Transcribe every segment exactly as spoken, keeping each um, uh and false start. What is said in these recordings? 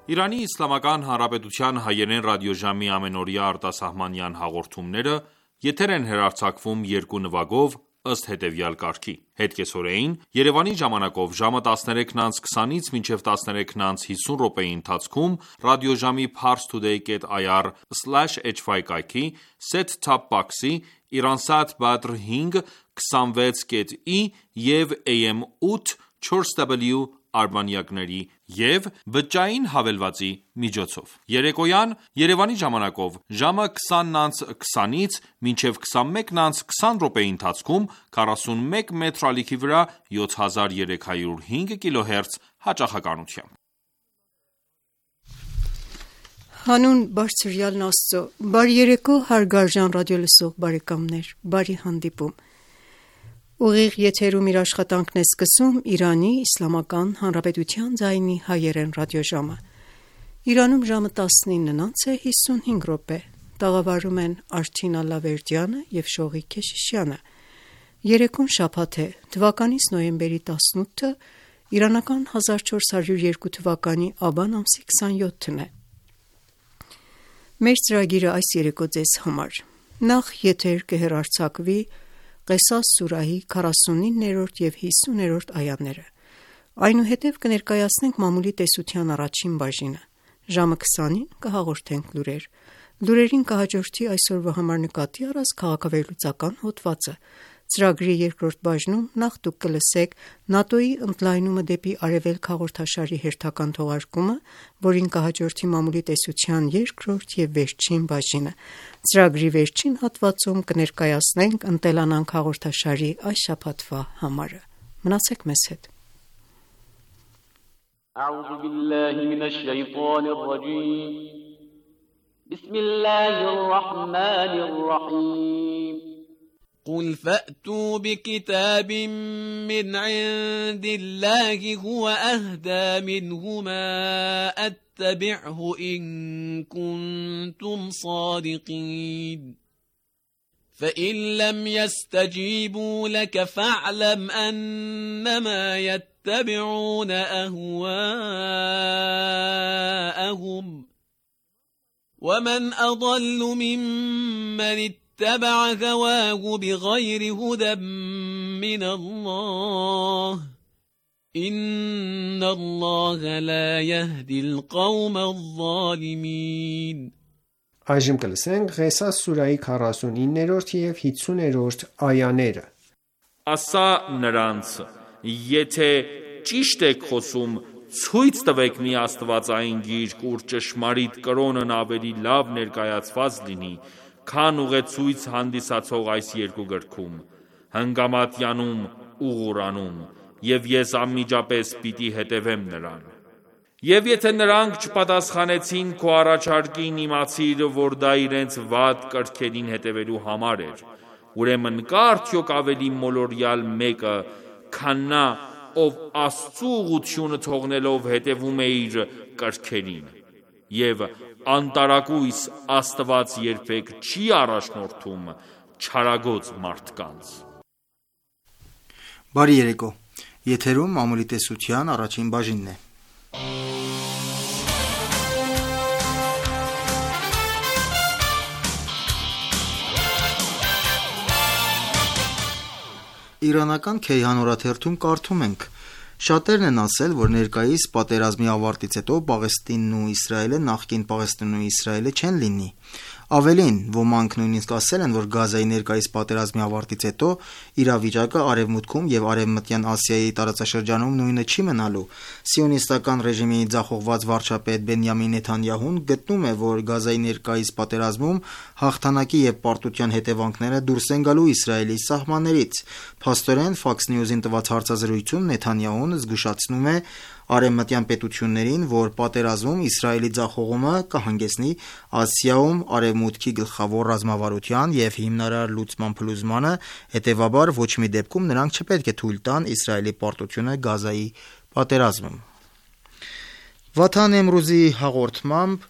Իրանի Իսլամական Հանրապետության հայերեն ռադիոժամի ամենօրյա արտասահմանյան հաղորդումները եթեր են հեռարձակվում երկու նվագով ըստ հետևյալ կարգի: Հետկեսօրեին Երևանի ժամանակով ժամը տասներեքն անց քսանից մինչև տասներեքն անց հիսուն րոպեի ընթացքում ռադիոժամի parstoday dot i r slash h y կայքի, set-top box-ի, Iransat Badr հինգ քսանվեց կետ ի և A M ութ չորս W արբանյակների և բջջային հավելվածի միջոցով: Երեկոյան Երևանի ժամանակով ժամը քսանն անց քսանից մինչև քսանմեկն անց քսան րոպեի ընթացքում քառասունմեկ մետր ալիքի վրա յոթ հազար երեք հարյուր հինգ կիլոհերց հաճախականությամբ: Հանուն Բարձրյալն Աստծո, բարի երեկո հարգարժան ռադիոլսող բարեկամներ, բարի հանդիպում: Ուղիղ եթերում իր աշխատանքն է սկսում Իրանի Իսլամական Հանրապետության ձայնի հայերեն ռադիոժամը: Իրանում ժամը տասնինն անց է հիսունհինգ րոպե: Տաղավարում են Արչին Ալավերդյանը և Շողիկ Քեշիշյանը: Երեկոն շաբաթ է, թվականիս նոյեմբերի տասնութը, իրանական հազար չորս հարյուր երկու թվականի աբան ամսի քսանյոթն է: Մեր ծրագիրը այս երեկո ձեզ համար: Նախ եթեր կհեռարձակվի Ղեսաս սուրահի քառասունիններորդ և հիսուներորդ այաները: Այնուհետև կներկայացնենք մամուլի տեսության առաջին բաժինը: Ժամը քսանին կհաղորդենք լուրեր: Լուրերին կհաջորդի այսօրվա համար նկատի առած քաղաքավերլուծական հոդվածը: Ծրագրի երկրորդ բաժնում նախ դուք կլսեք ՆԱՏՕ-ի ընդլայնումը դեպի Արևելք հաղորդաշարի հերթական թողարկումը, որին կհաջորդի մամուլի տեսության երկրորդ և վերջին բաժինը: Ծրագրի վերջին հատվածում կներկայացնենք «Ընտելանանք» հաղորդաշարի այս շաբաթվա համարը: Մնացեք մեզ հետ: قل فأتوا بكتاب من عند الله هو أهدى منهما أتبعه إن كنتم صادقين فإن لم يستجيبوا لك فاعلم أنما يتبعون أهواءهم ومن أضل ممن اتبع هواه بغير هدى من الله إن الله لا يهدي القوم الظالمين Այժմ կլսենք Ղեսաս սուրահի քառասունիններորդ և հիսուներորդ այաները: Ասա նրանց. եթե ճիշտ եք խոսում, ցույց տվեք մի աստվածային գիրք, ուր ճշմարիտ կրոնն ավելի լավ ներկայացված լինի, քան ուղեցույց հանդիսացող այս երկու գրքում: Հնգամատյանում ու Ղուրանում, և ես անմիջապես պիտի հետևեմ նրան: Եվ եթե նրանք չպատասխանեցին քո առաջարկին, իմացիր, որ դա իրենց վատ կրքերին հետևելու համար էր: Ուրեմն կա՞ արդյոք ավելի մոլորյալ մեկը, քան նա, ով Աստծու ուղղությունը թողնելով հետևում է իր կրքերին: Եվ անտարակույս Աստված երբեք չի առաջնորդում չարագոծ մարդկանց: Բարի երեկո, եթերում մամուլի տեսության առաջին բաժինն է: Իրանական Քեյհան օրաթերթում կարդում ենք. Շատերն են ասել, որ ներկայիս պատերազմի ավարտից հետո Պաղեստինն ու Իսրայելը նախկին Պաղեստինն ու Իսրայելը չեն լինի: Ավելին, ոմանք նույնիսկ ասել են, որ Գազայի ներկայիս պատերազմի ավարտից հետո իրավիճակը Արևմուտքում և Արևմտյան Ասիայի տարածաշրջանում նույնը չի մնալու: Սիոնիստական ռեժիմի ձախողված վարչապետ Բենյամին Նեթանյահուն գտնում է, որ Գազայի ներկայիս պատերազմում հաղթանակի և պարտության հետևանքները դուրս են գալու Իսրայելի սահմաններից: Փաստորեն, Fox News-ին տված հարցազրույցում Նեթանյահուն զգուշացնում է արևմտյան պետություններին, որ պատերազմում Իսրայելի ձախողումը կհանգեցնի Ասիայում Արևմուտքի գլխավոր ռազմավարության և հիմնարար լուծման փլուզմանը, հետևաբար ոչ մի դեպքում նրանք չպետք է թույլ տան Իսրայելի պարտությունը Գազայի պատերազմում: Վաթան Էմրուզի հաղորդմամբ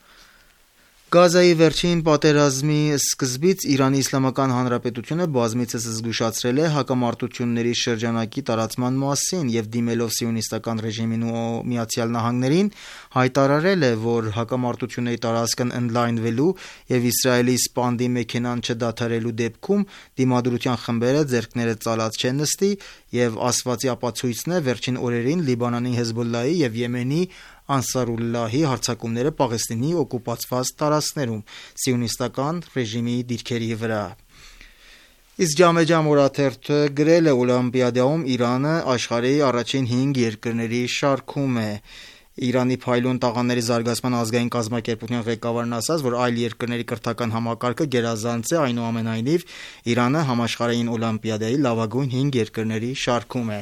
Գազայի վերջին պատերազմի սկզբից Իրանի Իսլամական Հանրապետությունը բազմիցս զգուշացրել է հակամարտությունների շրջանակի տարածման մասին և դիմելով սիոնիստական ռեժիմին ու Միացյալ Նահանգներին հայտարարել է, որ հակամարտությունների տարածքն ընդլայնվելու և Իսրայելի սպանդի մեքենան չդադարելու դեպքում դիմադրության խմբերը ձեռքները ծալած չեն նստի և ասվածի ապացույցն է վերջին օրերին Լիբանանի Հեզբոլլահի և Եմենի Անսարուլլահի հարձակումները Պաղեստինի օկուպացված տարածքներում սիոնիստական ռեժիմի դիրքերի վրա։ Իսկ Ջամեջամ օրաթերթը գրել է Օլիմպիադայում Իրանը աշխարհի առաջին հինգ երկրների շարքում է։ Իրանի փայլուն տաղանդների զարգացման ազգային կազմակերպության ղեկավարն ասաց, որ այլ երկրների կրթական համակարգը գերազանց է, այնուամենայնիվ Իրանը համաշխարհային օլիմպիադայի լավագույն հինգ երկրների շարքում է։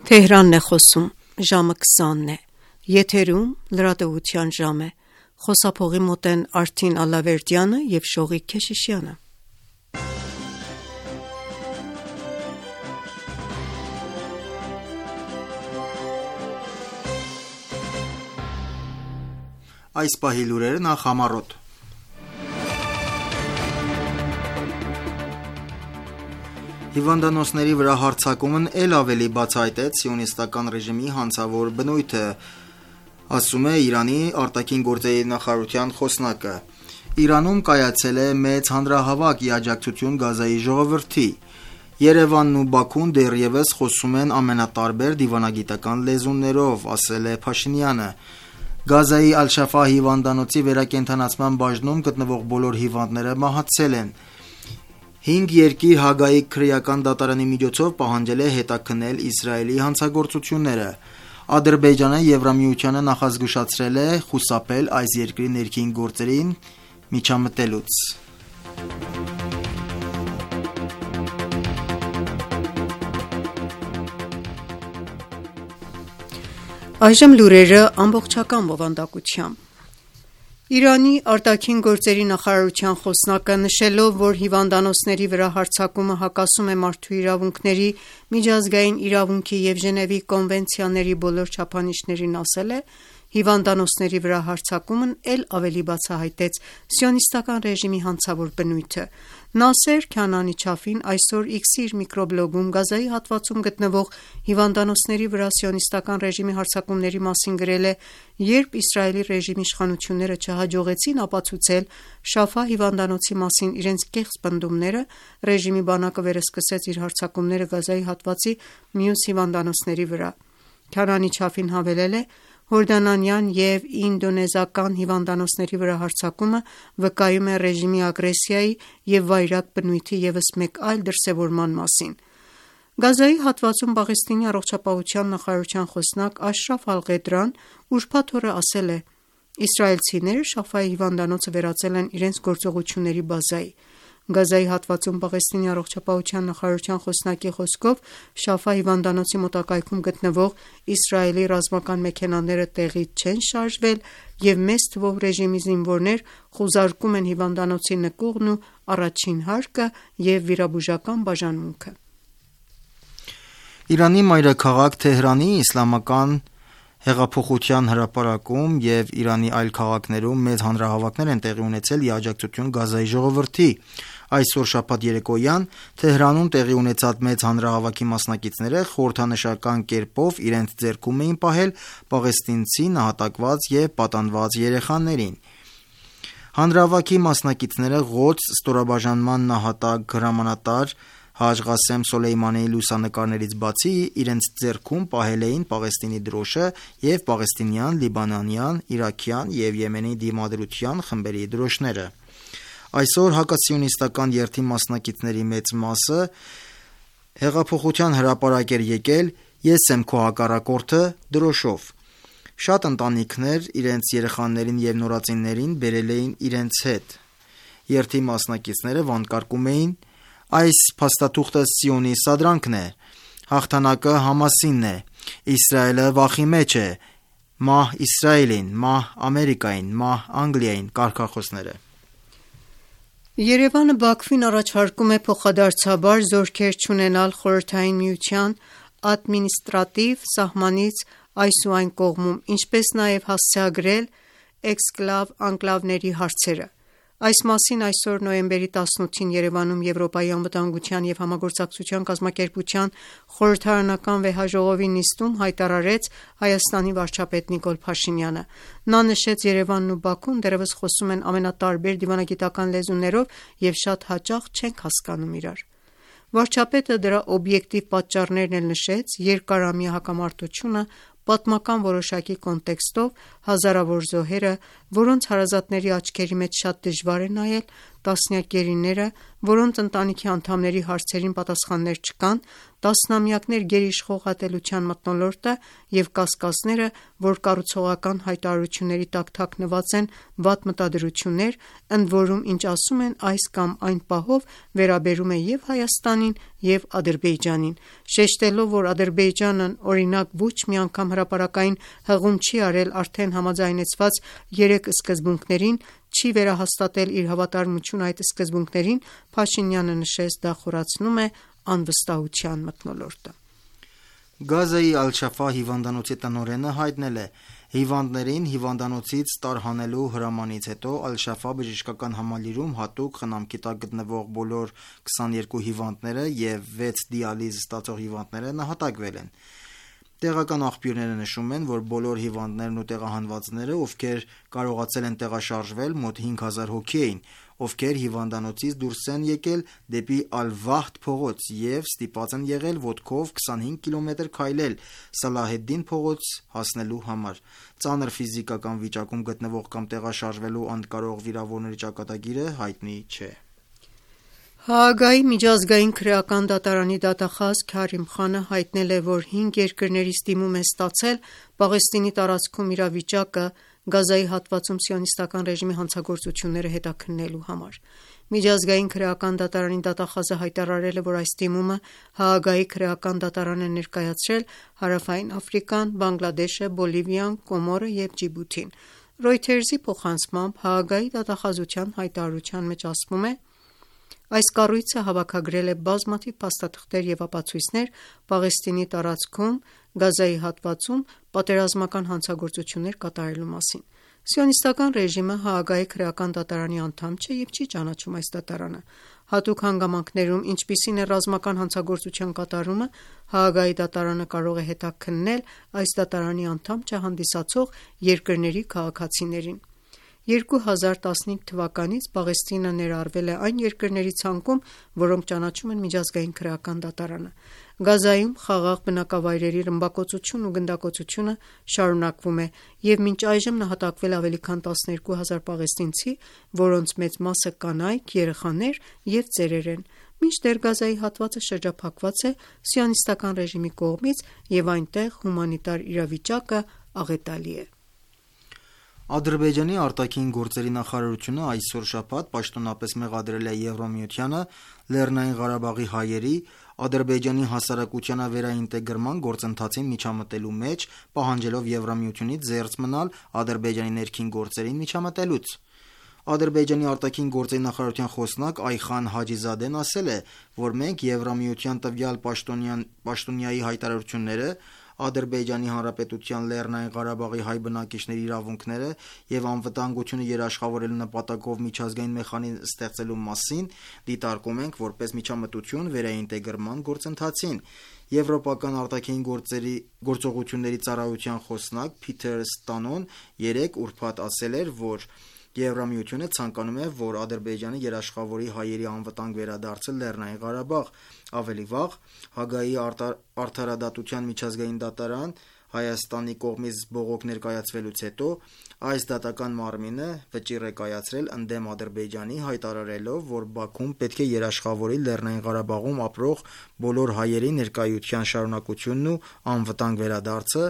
Թեհրանն է խոսում, ժամը քսանն է, եթերում լրատվության ժամ է, խոսափողի մոտ են Արթին Ալավերդյանը և Շողիկ Քեշիշյանը։ Այս պահի լուրերը նախ համառոտ։ Հիվանդանոցների վրա հարձակումն էլ ավելի բացահայտեց սիոնիստական ռեժիմի հանցավոր բնույթը, ասում է Իրանի արտաքին գործերի նախարարության խոսնակը։ Իրանում կայացել է մեծ հանրահավաք ի աջակցություն Գազայի ժողովրդի։ Երևանն ու Բաքուն դեռևս խոսում են ամենատարբեր դիվանագիտական լեզուներով, ասել է Փաշինյանը։ Գազայի Ալ-Շաֆա հիվանդանոցի վերակենդանացման բաժնում գտնվող բոլոր հիվանդները մահացել են։ Հինգ երկիր Հագայի քրեական դատարանի միջոցով պահանջել է հետաքննել Իսրայելի հանցագործությունները։ Ադրբեջանը Եվրամիությանը նախազգուշացրել է խուսափել այս երկրի ներքին գործերին միջամտելուց։ Այժմ լուրերը ամբողջական բովանդակությամբ։ Իրանի արտաքին գործերի նախարարության խոսնակը նշելով, որ հիվանդանոցների վրա հարձակումը հակասում է մարդու իրավունքների, միջազգային իրավունքի և Ժնևի կոնվենցիաների բոլոր չափանիշներին, ասել է. հիվանդանոցների վրա հարձակումն էլ ավելի բացահայտեց սիոնիստական ռեժիմի հանցավոր բնույթը։ Նասեր Քանանի Չաֆին այսօր X-ի իր միկրոբլոգում Գազայի հատվածում գտնվող հիվանդանոցների վրա սիոնիստական ռեժիմի հարձակումների մասին գրել է. «Երբ Իսրայելի ռեժիմի իշխանությունները չհաջողեցին ապացուցել Շաֆա հիվանդանոցի մասին իրենց կեղծ պնդումները, ռեժիմի բանակը վերսկսեց իր հարձակումները Գազայի հատվածի մյուս հիվանդանոցների վրա»։ Քանանի Չաֆին հավելել է. «Հորդանանյան և ինդոնեզական հիվանդանոցների վրա հարձակումը վկայում է ռեժիմի ագրեսիայի և վայրագ բնույթի ևս մեկ այլ դրսևորման մասին»։ Գազայի հատվածում Պաղեստինի առողջապահության նախարարության խոսնակ Աշրաֆ Ալ-Ղեդրան ուրբաթ օրը ասել է. «Իսրայելցիները Շաֆայի հիվանդանոցը վերածել են իրենց գործողությունների բազայի»։ Գազայի հատվածում Պաղեստինի առողջապահության նախարարության խոսնակի խոսքով Շաֆա հիվանդանոցի մոտակայքում գտնվող Իսրայելի ռազմական մեքենաները տեղից չեն շարժվել և մեծ թվով ռեժիմի զինվորներ խուզարկում են հիվանդանոցի նկուղն ու առաջին հարկը և վիրաբուժական բաժանմունքը։ Իրանի մայրաքաղաք Թեհրանի Իսլամական հեղափոխության հրապարակում և Իրանի այլ քաղաքներում մեծ հանրահավաքներ են տեղի ունեցել ի աջակցություն Գազայի ժողովրդի։ Այսօր շաբաթ երեկոյան Թեհրանում տեղի ունեցած մեծ հանրահավաքի մասնակիցները խորհրդանշական կերպով իրենց ձեռքում էին պահել պաղեստինցի նահատակված և պատանված երեխաներին։ Հանրահավաքի մասնակիցները Ղոդս ստորաբաժանման նահատակ հրամանատար Հաջ Ղասեմ Սոլեյմանիի լուսանկարներից բացի իրենց ձեռքում պահել էին Պաղեստինի դրոշը և պաղեստինյան, լիբանանյան, իրաքյան և Եմենի դիմադրության խմբերի դրոշները։ Այսօր հակասիոնիստական երթի մասնակիցների մեծ մասը հեղափոխության հրապարակ էր եկել «Ես եմ քո հակառակորդը» դրոշով։ Շատ ընտանիքներ իրենց երեխաներին և նորածիններին բերել էին իրենց հետ։ Երթի մասնակիցները վանկարկում էին. «Այս փաստաթուղթը Սիոնի սադրանքն է, հաղթանակը Համասինն է, Իսրայելը վախի մեջ է, մահ Իսրայելին, մահ Ամերիկային, մահ Անգլիային կարգախոսները։ Երևանը Բաքվին առաջարկում է փոխադարձաբար զորքեր չունենալ Խորհրդային Միության ադմինիստրատիվ սահմանից այս ու այն կողմում, ինչպես նաև հասցեագրել էքսկլավ-անկլավների հարցերը։ Այս մասին այսօր նոյեմբերի տասնութին Երևանում Եվրոպայի անվտանգության և համագործակցության կազմակերպության խորհրդարանական վեհաժողովի նիստում հայտարարեց Հայաստանի վարչապետ Նիկոլ Փաշինյանը։ Նա նշեց Երևանն ու Բաքուն դեռևս խոսում են ամենատարբեր դիվանագիտական լեզուներով և շատ հաճախ չենք հասկանում իրար։ Վարչապետը դրա օբյեկտիվ պատճառներն էլ նշեց՝ երկարամյա հակամարտությունը, պատմական որոշակի կոնտեքստով, հազարավոր զոհերը, որոնց հարազատների աչքերի մեջ շատ դժվար է նայել, տասնյակ գերիները, որոնց ընտանիքի անդամների հարցերին պատասխաններ չկան, տասնամյակներ գերիշխող ատելության մթնոլորտը և կասկածները, որ կառուցողական հայտարարությունների տակ թաքնված են վատ մտադրություններ, ընդ որում ինչ ասում են այս կամ այն պահով վերաբերում է և Հայաստանին, և Ադրբեջանին, շեշտելով, որ Ադրբեջանն օրինակ ոչ մի անգամ հրապարակային հղում չի արել արդեն համաձայնեցված երեք սկզբունքներին, չի վերահաստատել իր հավատարմությունը այդ սկզբունքներին, Փաշինյանը նշեց, դա խորացնում է անվստահության մթնոլորտը։ Գազայի Ալ-Շաֆա հիվանդանոցի տնօրենը հայտնել է. հիվանդներին հիվանդանոցից տարհանելու հրամանից հետո Ալ-Շաֆա բժշկական համալիրում հատուկ խնամքի տակ գտնվող բոլոր քսաներկու հիվանդները և վեց դիալիզ ստացող հիվանդները նահատակվել են։ Տեղական աղբյուրները նշում են, որ բոլոր հիվանդներն ու տեղահանվածները, ովքեր կարողացել են տեղաշարժվել, մոտ հինգ հազար հոգի էին, ովքեր հիվանդանոցից դուրս են եկել դեպի Ալ-Վահդ փողոց և ստիպված են եղել ոտքով քսանհինգ կիլոմետր քայլել Սալահեդդին փողոց հասնելու համար։ Ծանր ֆիզիկական վիճակում գտնվող կամ տեղաշարժվելու անկարող վիրավորների ճակատագիրը հայտնի չէ։ Հաագայի միջազգային քրեական դատարանի դատախազ Քարիմ Խանը հայտնել է, որ հինգ երկրներից դիմում է ստացել Պաղեստինի տարածքում իրավիճակը Գազայի հատվածում սիոնիստական ռեժիմի հանցագործությունները հետաքննելու համար։ Միջազգային քրեական դատարանի դատախազը հայտարարել է, որ այս դիմումը Հաագայի քրեական դատարան է ներկայացրել Հարավային Աֆրիկան, Բանգլադեշը, Բոլիվիան, Կոմորը և Ջիբութին։ Reuters-ի փոխանցմամբ Հաագայի դատախազության հայտարարության մեջ ասվում է. Այս կառույցը հավաքագրել է բազմաթիվ փաստաթղթեր և ապացույցներ Պաղեստինի տարածքում Գազայի հատվածում պատերազմական հանցագործություններ կատարելու մասին։ Սիոնիստական ռեժիմը Հաագայի քրեական դատարանի անդամ չէ և չի ճանաչում այս դատարանը։ Հատուկ հանգամանքներում, ինչպիսին է ռազմական հանցագործության կատարումը, Հաագայի դատարանը կարող է հետաքննել այս դատարանի անդամ չհանդիսացող երկրների քաղաքացիներին։ երկու հազար տասնհինգ թվականից Պաղեստինը ներառվել է այն երկրների ցանկում, որոնք ճանաչում են միջազգային քրեական դատարանը։ Գազայում խաղաղ բնակավայրերի ռմբակոծությունն ու գնդակոծությունը շարունակվում է և մինչ այժմ նահատակվել է ավելի քան տասներկու հազար պաղեստինցի, որոնց մեծ մասը կանայք, երեխաներ և ծերեր են, մինչդեռ Գազայի հատվածը շրջափակված է սիոնիստական ռեժիմի կողմից և այնտեղ հումանիտար իրավիճակը աղետալի է։ Ադրբեջանի արտաքին գործերի նախարարությունը այսօր շաբաթ պաշտոնապես մեղադրել է Եվրամիությանը Լեռնային Ղարաբաղի հայերի Ադրբեջանի հասարակությանը վերաինտեգրման գործընթացին միջամտելու մեջ, պահանջելով Եվրամիությունից զերծ մնալ Ադրբեջանի ներքին գործերին միջամտելուց։ Ադրբեջանի արտաքին գործերի նախարարության խոսնակ Այխան Հաջիզադեն ասել է, որ մենք Եվրամիության տվյալ պաշտոնյայի հայտարարությունները Ադրբեջանի Հանրապետության Լեռնային Ղարաբաղի հայ բնակիչների իրավունքները և անվտանգությունը երաշխավորելու նպատակով միջազգային մեխանիզմ ստեղծելու մասին դիտարկում ենք որպես միջամտություն վերաինտեգրման գործընթացին։ Եվրոպական արտաքին գործերի գործողությունների ծառայության խոսնակ Փիթեր Ստանոն երեկ ուրբաթ ասել էր, որ Եվրամիությունը ցանկանում է, որ Ադրբեջանը երաշխավորի հայերի անվտանգ վերադարձը Լեռնային Ղարաբաղ։ Ավելի վաղ Հաագայի արդարադատության միջազգային դատարան Հայաստանի կողմից բողոք ներկայացվելուց հետո այս դատական մարմինը վճիռ է կայացրել ընդդեմ Ադրբեջանի, հայտարարելով, որ Բաքուն պետք է երաշխավորի Լեռնային Ղարաբաղում ապրող բոլոր հայերի ներկայության շարունակությունն ու անվտանգ վերադարձը,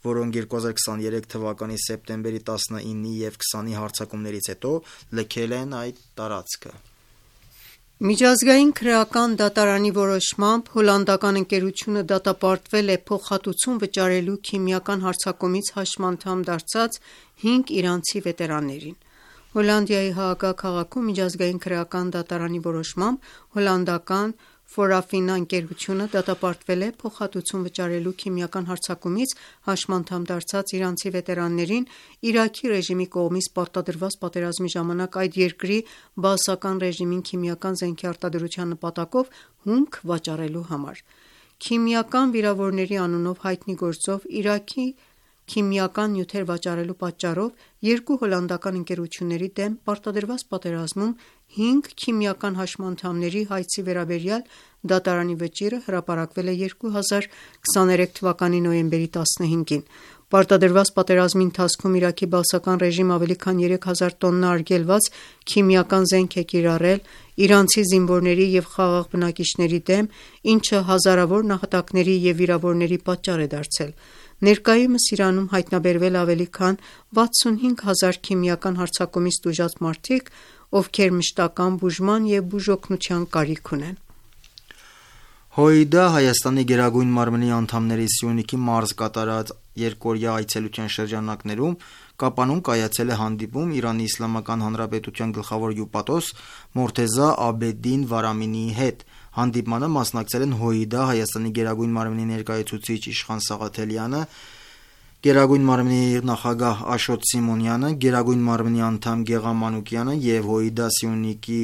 որոնք երկու հազար քսաներեք թվականի սեպտեմբերի տասնինի և քսանի հարձակումներից հետո լքել են այդ տարածքը։ Միջազգային քրեական դատարանի որոշմամբ հոլանդական ընկերությունը դատապարտվել է փոխհատուցում վճարելու քիմիական հարձակումից հաշմանդամ դարձած հինգ իրանցի վետերաններին։ Հոլանդիայի Հաագա քաղաքում միջազգային քրեական դատարանի որոշմամբ հոլանդական Forafina ընկերությունը դատապարտվել է փոխհատուցում վճարելու քիմիական հարձակումից հաշմանդամ դարձած իրանցի վետերաններին Իրաքի ռեժիմի կողմից պարտադրված պատերազմի ժամանակ այդ երկրի բաասական ռեժիմին քիմիական զենքի արտադրության նպատակով հումք վաճառելու համար։ Քիմիական վիրավորների անունով հայտնի գործով Իրաքի քիմիական նյութեր վաճառելու պատճառով երկու հոլանդական ընկերությունների դեմ պարտադրված պատերազմում հինգ քիմիական հաշմանդամների հայցի վերաբերյալ դատարանի վճիռը հրապարակվել է երկու հազար քսաներեք թվականի նոյեմբերի տասնհինգին։ Պարտադրված պատերազմի ընթացքում Իրաքի բաասական ռեժիմը ավելի քան երեք հազար տոննա արգելված քիմիական զենք է կիրառել իրանցի զինվորների և խաղաղ բնակիչների դեմ, ինչը հազարավոր նահատակների և վիրավորների պատճառ է դարձել։ Ներկայումս Իրանում հայտնաբերվել ավելի քան վաթսունհինգ հազար քիմիական հարձակումից տուժած մարդիկ, ովքեր մշտական բուժման և բուժօգնության կարիք ունեն։ ՀՅԴ Հայաստանի Գերագույն մարմնի անդամների Սյունիքի մարզ կատարած երկօրյա այցելության շրջանակներում Կապանում կայացել է հանդիպում Իրանի Իսլամական Հանրապետության գլխավոր հյուպատոս Մորթեզա Աբեդին Վարամինիի հետ։ Հանդիպմանը մասնակցել են ՀՅԴ Հայաստանի Գերագույն մարմնի ներկայացուցիչ Իշխան Սաղաթելյանը, Գերագույն մարմնի նախագահ Աշոտ Սիմոնյանը, Գերագույն մարմնի անդամ Գեղամ Մանուկյանը և ՀՅԴ Սյունիքի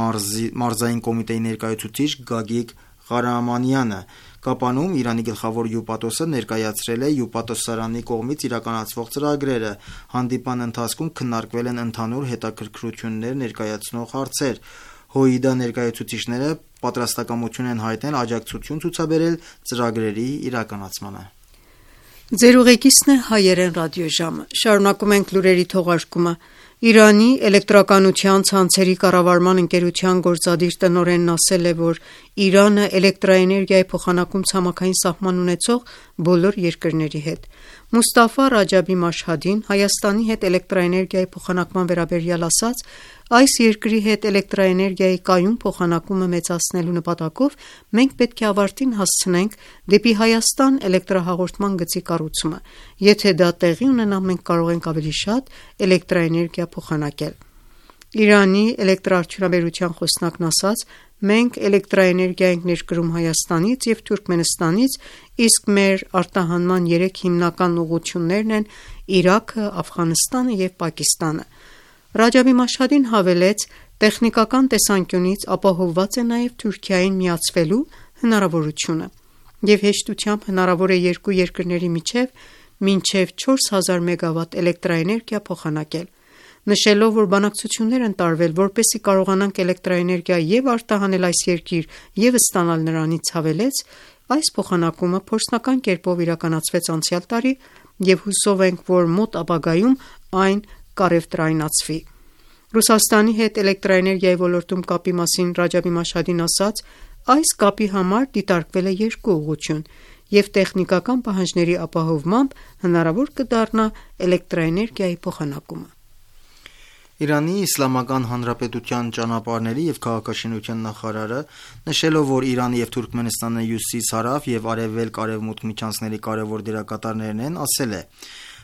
մարզային կոմիտեի ներկայացուցիչ Գագիկ Ղարամանյանը։ Կապանում Իրանի գլխավոր հյուպատոսը ներկայացրել է հյուպատոսարանի կողմից իրականացվող ծրագրերը։ Հանդիպան ընթացքում քննարկվել են ընդհանուր հետաքրքրություններ ներկայացնող հարցեր։ ՀՅԴ ներկայացուցիչները պատրաստակամություն են հայտնել աջակցություն ցուցաբերել ծրագրերի իրականացմանը։ Ձեր ուղեկիցն է հայերեն ռադիոժամը։ Շարունակում ենք լուրերի թողարկումը։ Իրանի էլեկտրականության ցանցերի կառավարման ընկերության գործադիր տնօրենն ասել է, որ Իրանը էլեկտրաէներգիայի փոխանակում ցամաքային սահման ունեցող բոլոր երկրների հետ։ Մուստաֆա Ռաջաբի Մաշհադին Հայաստանի հետ էլեկտրաէներգիայի փոխանակման վերաբերյալ ասաց. «Այս երկրի հետ էլեկտրաէներգիայի կայուն փոխանակումը մեծացնելու նպատակով մենք պետք է ավարտին հասցնենք դեպի Հայաստան էլեկտրահաղորդման գծի կառուցումը։ Եթե դա տեղի ունենա, մենք կարող ենք ավելի շատ էլեկտրաէներգիա փոխանակել»։ Իրանի էլեկտրաարդյունաբերության խոսնակն ասաց. «Մենք էլեկտրաէներգիա ենք ներկրում Հայաստանից և Թուրքմենստանից, իսկ մեր արտահանման երեք հիմնական ուղղություններն են Իրաքը, Աֆղանստանը և Պակիստանը»։ Ռաջաբի Մաշհադին հավելեց. «Տեխնիկական տեսանկյունից ապահովված է նաև Թուրքիային միացվելու հնարավորությունը և հեշտությամբ հնարավոր է երկու երկրների միջև մինչև չորս հազար մեգավատ էլեկտրաէներգիա փոխանակել»։ Նշելով, որ բանակցություններ են տարվել, որպեսզի կարողանանք էլեկտրաէներգիա և արտահանել այս երկիր և ստանալ նրանից, հավելեց. «Այս փոխանակումը փորձնական կերպով իրականացվեց անցյալ տարի և հուսով ենք, որ մոտ ապագայում այն կառևտրայնացվի»։ Ռուսաստանի հետ էլեկտրաէներգիայի ոլորտում կապի մասին Ռաջաբի Մաշհադին ասաց. «Այս կապի համար դիտարկվել է երկու ուղղություն և տեխնիկական պահանջների ապահովմամբ հնարավոր կդառնա էլեկտրաէներգիայի փոխանակումը»։ Իրանի Իսլամական Հանրապետության ճանապարհների և քաղաքաշինության նախարարը, նշելով, որ Իրանը և Թուրքմենստանը հյուսիս-հարավ և արևելք-արևմուտք միջանցքների կարևոր դերակատարներն են, ասել է.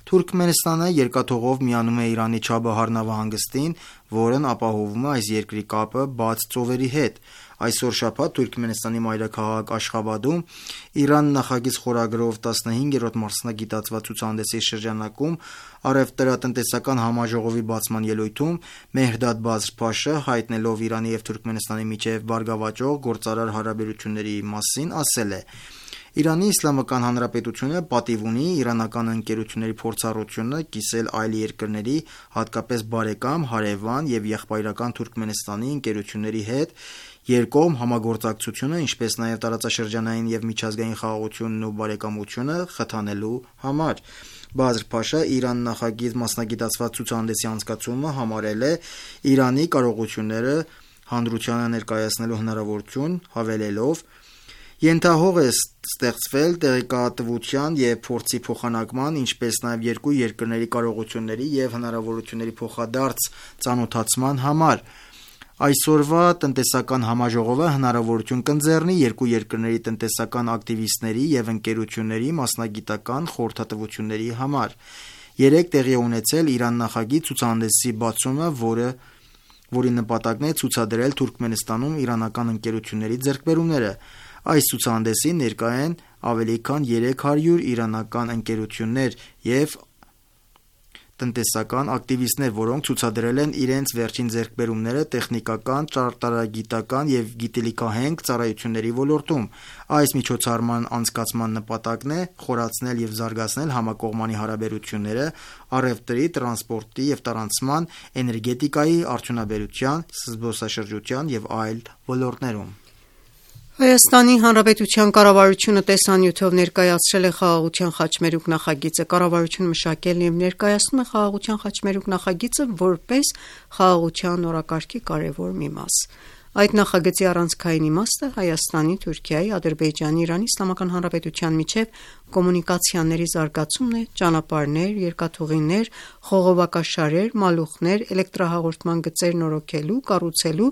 «Թուրքմենստանը երկաթուղով միանում է Իրանի Չաբահար նավահանգստին, որն ապահովում է այս երկրի կապը բաց ծովերի հետ։ Այսօր շաբաթ Թուրքմենստանի մայրաքաղաք Աշխաբադում Իրան նախագիծ խորագրով տասնհինգերորդ մասնագիտացված ցուցահանդեսի շրջանակում առևտրատնտեսական համաժողովի բացման ելույթում Մեհրդադ Բազր Փաշը, հայտնելով Իրանի և Թուրքմենստանի միջև բարգավաճող գործարար հարաբերությունների մասին, ասել է. «Իրանի Իսլամական Հանրապետությունը պատիվ ունի իրանական ընկերությունների փորձառությունը կիսել այլ երկրների, հատկապես բարեկամ, հարևան և եղբայրական Թուրքմենստանի ընկերությունների հետ երկկողմ համագործակցությունը, ինչպես նաև տարածաշրջանային և միջազգային խաղաղությունն ու բարեկամությունը խթանելու համար»։ Բազր Փաշան Իրան նախագիծ մասնագիտացված ցուցահանդեսի անցկացումը համարել է Իրանի կարողությունները հանրությանը ներկայացնելու հնարավորություն, հավելելով. «Ենթահող է ստեղծվել տեղեկատվության և փորձի փոխանակման, ինչպես նաև երկու երկրների կարողությունների և հնարավորությունների փոխադարձ ծանոթացման համար»։ Այսօրվա տնտեսական համաժողովը հնարավորություն կընձեռնի երկու երկրների տնտեսական ակտիվիստների և ընկերությունների մասնագիտական խորհրդատվությունների համար։ Երեկ տեղի է ունեցել Իրան նախագիծ ցուցահանդեսի բացումը, որը որի նպատակն է ցուցադրել Թուրքմենստանում իրանական ընկերությունների ձեռքբերումները։ Այս ցուցահանդեսին ներկա են ավելի քան երեք հարյուր իրանական ընկերություններ և տնտեսական ակտիվիստներ, որոնք ցուցադրել են իրենց վերջին ձեռքբերումները տեխնիկական, ճարտարագիտական և գիտելիքահենք ծառայությունների ոլորտում։ Այս միջոցառման անցկացման նպատակն է խորացնել և զարգացնել համակողմանի հարաբերությունները առևտրի, տրանսպորտի և տարանցման, էներգետիկայի, արդյունաբերության, զբոսաշրջության և այլ ոլորտներում։ Հայաստանի Հանրապետության կառավարությունը տեսանյութով ներկայացրել է Խաղաղության խաչմերուկ նախագիծը։ Կառավարությունը մշակել և ներկայացնում է Խաղաղության խաչմերուկ նախագիծը որպես խաղաղության օրակարգի կարևոր մի մաս։ Այդ նախագծի առանցքային իմաստը Հայաստանի, Թուրքիայի, Ադրբեջանի, Իրանի Իսլամական Հանրապետության միջև կոմունիկացիաների զարգացումն է ճանապարհներ, երկաթուղիներ, խողովակաշարեր, մալուխներ, էլեկտրահաղորդման գծեր նորոգելու, կառուցելու,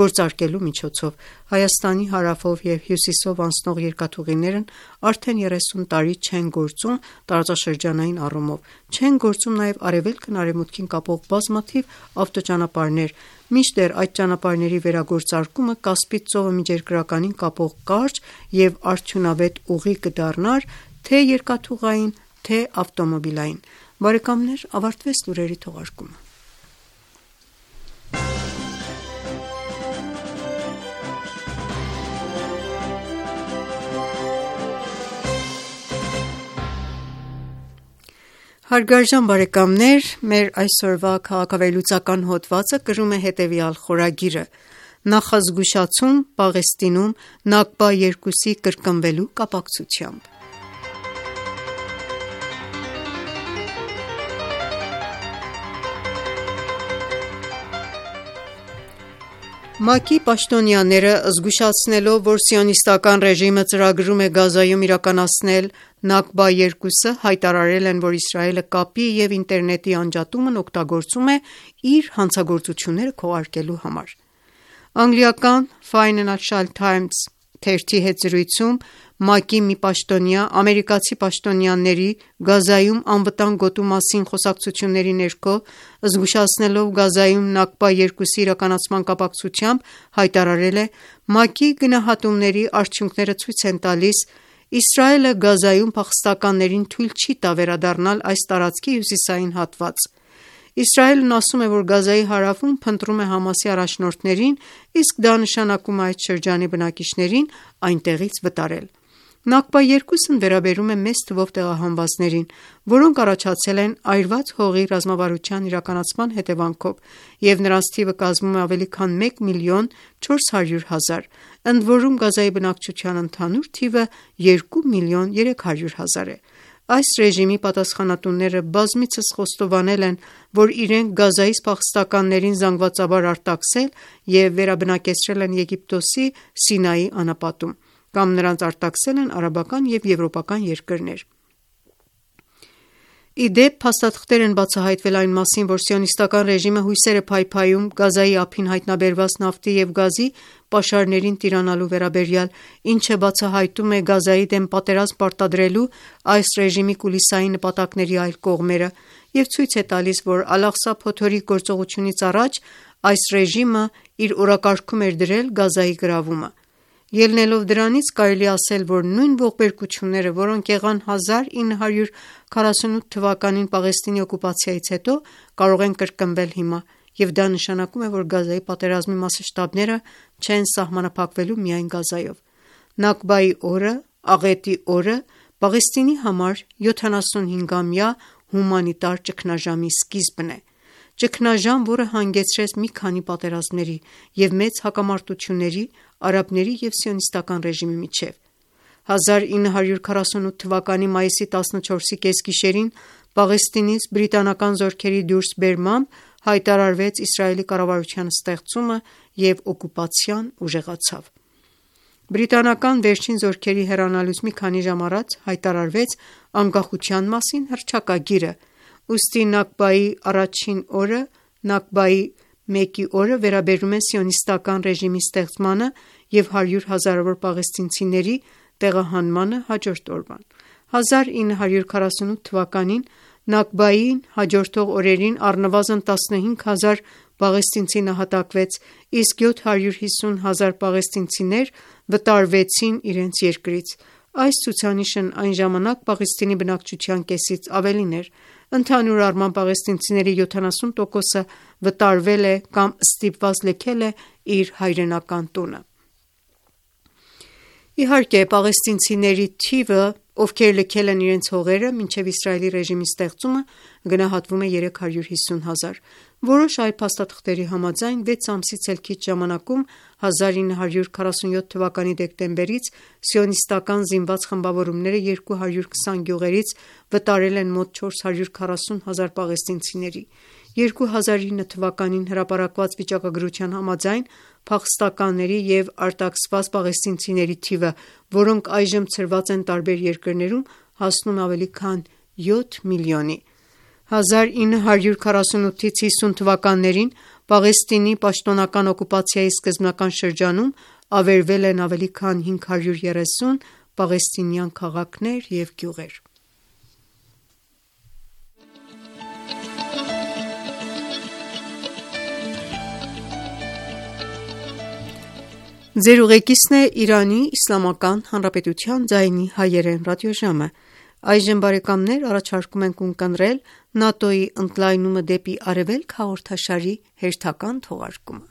գործարկելու միջոցով։ Հայաստանի հարավով և հյուսիսով անցնող երկաթուղիներն արդեն երեսուն տարի չեն գործում տարածաշրջանային առումով։ Չեն գործում նաև արևելքն արևմուտքին կապող բազմաթիվ ավտոճանապարհներ, մինչդեռ այդ ճանապարհների վերագործարկումը Կասպից ծովը միջերկրականին կապող կարճ և արդյունավետ ուղի կդառնար թե երկաթուղային, թե ավտոմոբիլային։ Բարեկամներ, ավարտվեց լուրերի թողարկումը։ Հարգարժան բարեկամներ, մեր այսօրվա քաղաքավեհլուծական հոդվածը կրում է հետևյալ խորագիրը՝ Նախազգուշացում Պաղեստինում Նաքբա երկուսի կրկնվելու կապակցությամբ։ ՄԱԿ-ի պաշտոնյաները զգուշացնելով, որ սիոնիստական ռեժիմը ծրագրում է Գազայում իրականացնել Նաքբա երկուսը, հայտարարել են, որ Իսրայելը կապի և ինտերնետի անջատումն օգտագործում է իր հանցագործությունները քողարկելու համար։ Անգլիական Financial Times թերթի հետ զրույցում ՄԱԿ-ի մի պաշտոնյա ամերիկացի պաշտոնյաների Գազայում անվտանգ գոտու մասին խոսակցությունների ներքո, զգուշացնելով Գազայում Նաքբա երկուսի իրականացման կապակցությամբ, հայտարարել է. «ՄԱԿ-ի գնահատումների արդյունքները ցույց են տալիս. Իսրայելը Գազայում փախստականներին թույլ չի տա վերադառնալ այս տարածքի հյուսիսային հատված։ Իսրայելն ասում է, որ Գազայի հարավում փնտրում է ՀԱՄԱՍ-ի առաջնորդներին, իսկ դա նշանակում է այդ շրջանի բնակիչներին այնտեղից վտարել»։ Նաքբա երկուսն վերաբերում է մեծ թվով տեղահանվածներին, որոնք առաջացել են այրված հողի ռազմավարության իրականացման հետևանքով, և նրանց թիվը կազմում է ավելի քան մեկ միլիոն չորս հարյուր հազար, ընդորում Գազայի բնակչության ընդհանուր թիվը երկու միլիոն երեք հարյուր հազար է։ Այս ռեժիմի պատասխանատուները բազմիցս խոստովանել են, որ իրենք Գազայից փախստականներին զանգվածաբար արտաքսել և վերաբնակեցրել են Եգիպտոսի Սինայի անապատում, կամ նրանց արտաքսել են արաբական և եվրոպական երկրներ։ Ի դեպ, փաստաթղթեր են բացահայտվել այն մասին, որ սիոնիստական ռեժիմը հույսեր է փայփայում Գազայի ափին հայտնաբերված նավթի և գազի պաշարներին տիրանալու վերաբերյալ, ինչը բացահայտում է Գազայի դեմ պատերազմ պարտադրելու այս ռեժիմի կուլիսային նպատակների այլ կողմերը և ցույց է տալիս, որ Ալ-Աղսա փոթորիկ գործողությունից առաջ այս ռեժիմը իր օրակարգում էր դրել Գազայի գրավումը։ Ելնելով դրանից, կարելի է ասել, որ նույն ողբերգությունները, որոնք եղան հազար ինը հարյուր քառասունութ թվականին Պաղեստինի օկուպացիայից հետո, կարող են կրկնվել հիմա, և դա նշանակում է, որ Գազայի պատերազմի մասշտաբները չեն սահմանափակվելու միայն Գազայով։ Նաքբայի օրը, աղետի օրը, Պաղեստինի համար յոթանասունհինգամյա հումանիտար ճգնաժամի սկիզբն է։ Ճգնաժամ, որը հանգեցրեց մի քանի պատերազմների և մեծ հակամարտությունների արաբների և սիոնիստական ռեժիմի միջև։ հազար ինը հարյուր քառասունութ թվականի մայիսի տասնչորսի կեսգիշերին Պաղեստինից բրիտանական զորքերի դուրսբերմամբ հայտարարվեց Իսրայելի կառավարության ստեղծումը և օկուպացիան ուժեղացավ։ Բրիտանական վերջին զորքերի հեռանալուց մի քանի ժամ առաջ հայտարարվեց անկախության մասին հռչակագիրը, ուստի Նաքբայի առաջին օրը, Նաքբայի Մեկի օրը վերաբերում է սիոնիստական ռեժիմի ստեղծմանը և հարյուր հազարավոր պաղեստինցիների տեղահանմանը հաջորդ օրվան։ հազար ինը հարյուր քառասունութ թվականին Նաքբային հաջորդող օրերին առնվազն տասնհինգ հազար պաղեստինցի նահատակվեց, իսկ յոթ հարյուր հիսուն հազար պաղեստինցիներ վտարվեցին իրենց երկրից։ Այս ցուցանիշն այն ժամանակ Պաղեստինի բնակչության կեսից ավելին էր։ Ընդհանուր առմամբ պաղեստինցիների յոթանասուն տոկոսը վտարվել է կամ ստիպված լքել է իր հայրենական տունը։ Իհարկե, պաղեստինցիների թիվը, ովքեր լքել են իրենց հողերը մինչև Իսրայելի ռեժիմի ստեղծումը, գնահատվում է երեք հարյուր հիսուն հազար։ Որոշ այլ փաստաթղթերի համաձայն վեց ամսից էլ քիչ ժամանակում հազար ինը հարյուր քառասունյոթ թվականի դեկտեմբերից սիոնիստական զինված խմբավորումները երկու հարյուր քսան գյուղերից վտարել են մոտ չորս հարյուր քառասուն հազար պաղեստինցիների։ երկու հազար ինը թվականին հրապարակված վիճակագրության համաձայն փախստականների և արտաքսված պաղեստինցիների թիվը, որոնք այժմ ցրված են տարբեր երկրներում, հասնում է ավելի քան յոթ միլիոնի։ հազար ինը հարյուր քառասունութից հիսուն թվականներին Պաղեստինի պաշտոնական օկուպացիայի սկզբնական շրջանում ավերվել են ավելի քան հինգ հարյուր երեսուն պաղեստինյան քաղաքներ և գյուղեր։ Ձեր ուղեկիցն է Իրանի Իսլամական Հանրապետության ձայնի հայերեն ռադիոժամը։ Այժմ բարեկամներ առաջարկում ենք ունկնդրել ՆԱՏՕ-ի ընդլայնումը դեպի Արևելք հաղորդաշարի հերթական թողարկումը։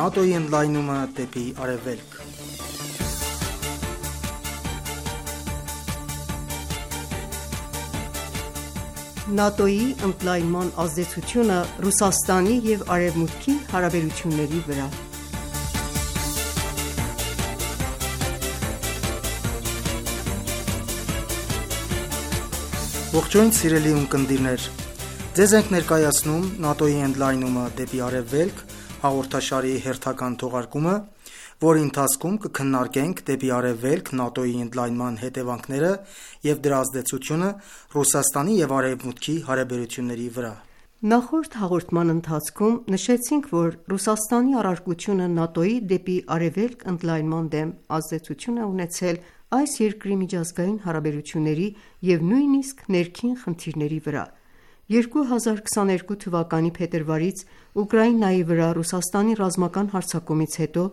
ՆԱՏՕ-ի ընդլայնումը դեպի Արևելք։ ՆԱՏՕ-ի ընդլայնման ազդեցությունը Ռուսաստանի և Արևմուտքի հարաբերությունների վրա։ Ողջույն սիրելի ունկնդիրներ, ձեզ ենք ներկայացնում ՆԱՏՕ-ի ընդլայնումը դեպի Արևելք հաղորդաշարի հերթական թողարկումը, որի ընթացքում կքննարկենք դեպի Արևելք ՆԱՏՕ-ի ընդլայնման հետևանքները և դրա ազդեցությունը Ռուսաստանի և Արևմուտքի հարաբերությունների վրա։ Նախորդ հաղորդման ընթացքում նշեցինք, որ Ռուսաստանի առարկությունը ՆԱՏՕ-ի դեպի Արևելք ընդլայնման դեմ ազդեցություն է ունեցել այս երկրի միջազգային հարաբերությունների և նույնիսկ ներքին խնդիրների վրա։ երկու հազար քսաներկու թվականի փետրվարից Ուկրաինայի վրա Ռուսաստանի ռազմական հարձակումից հետո,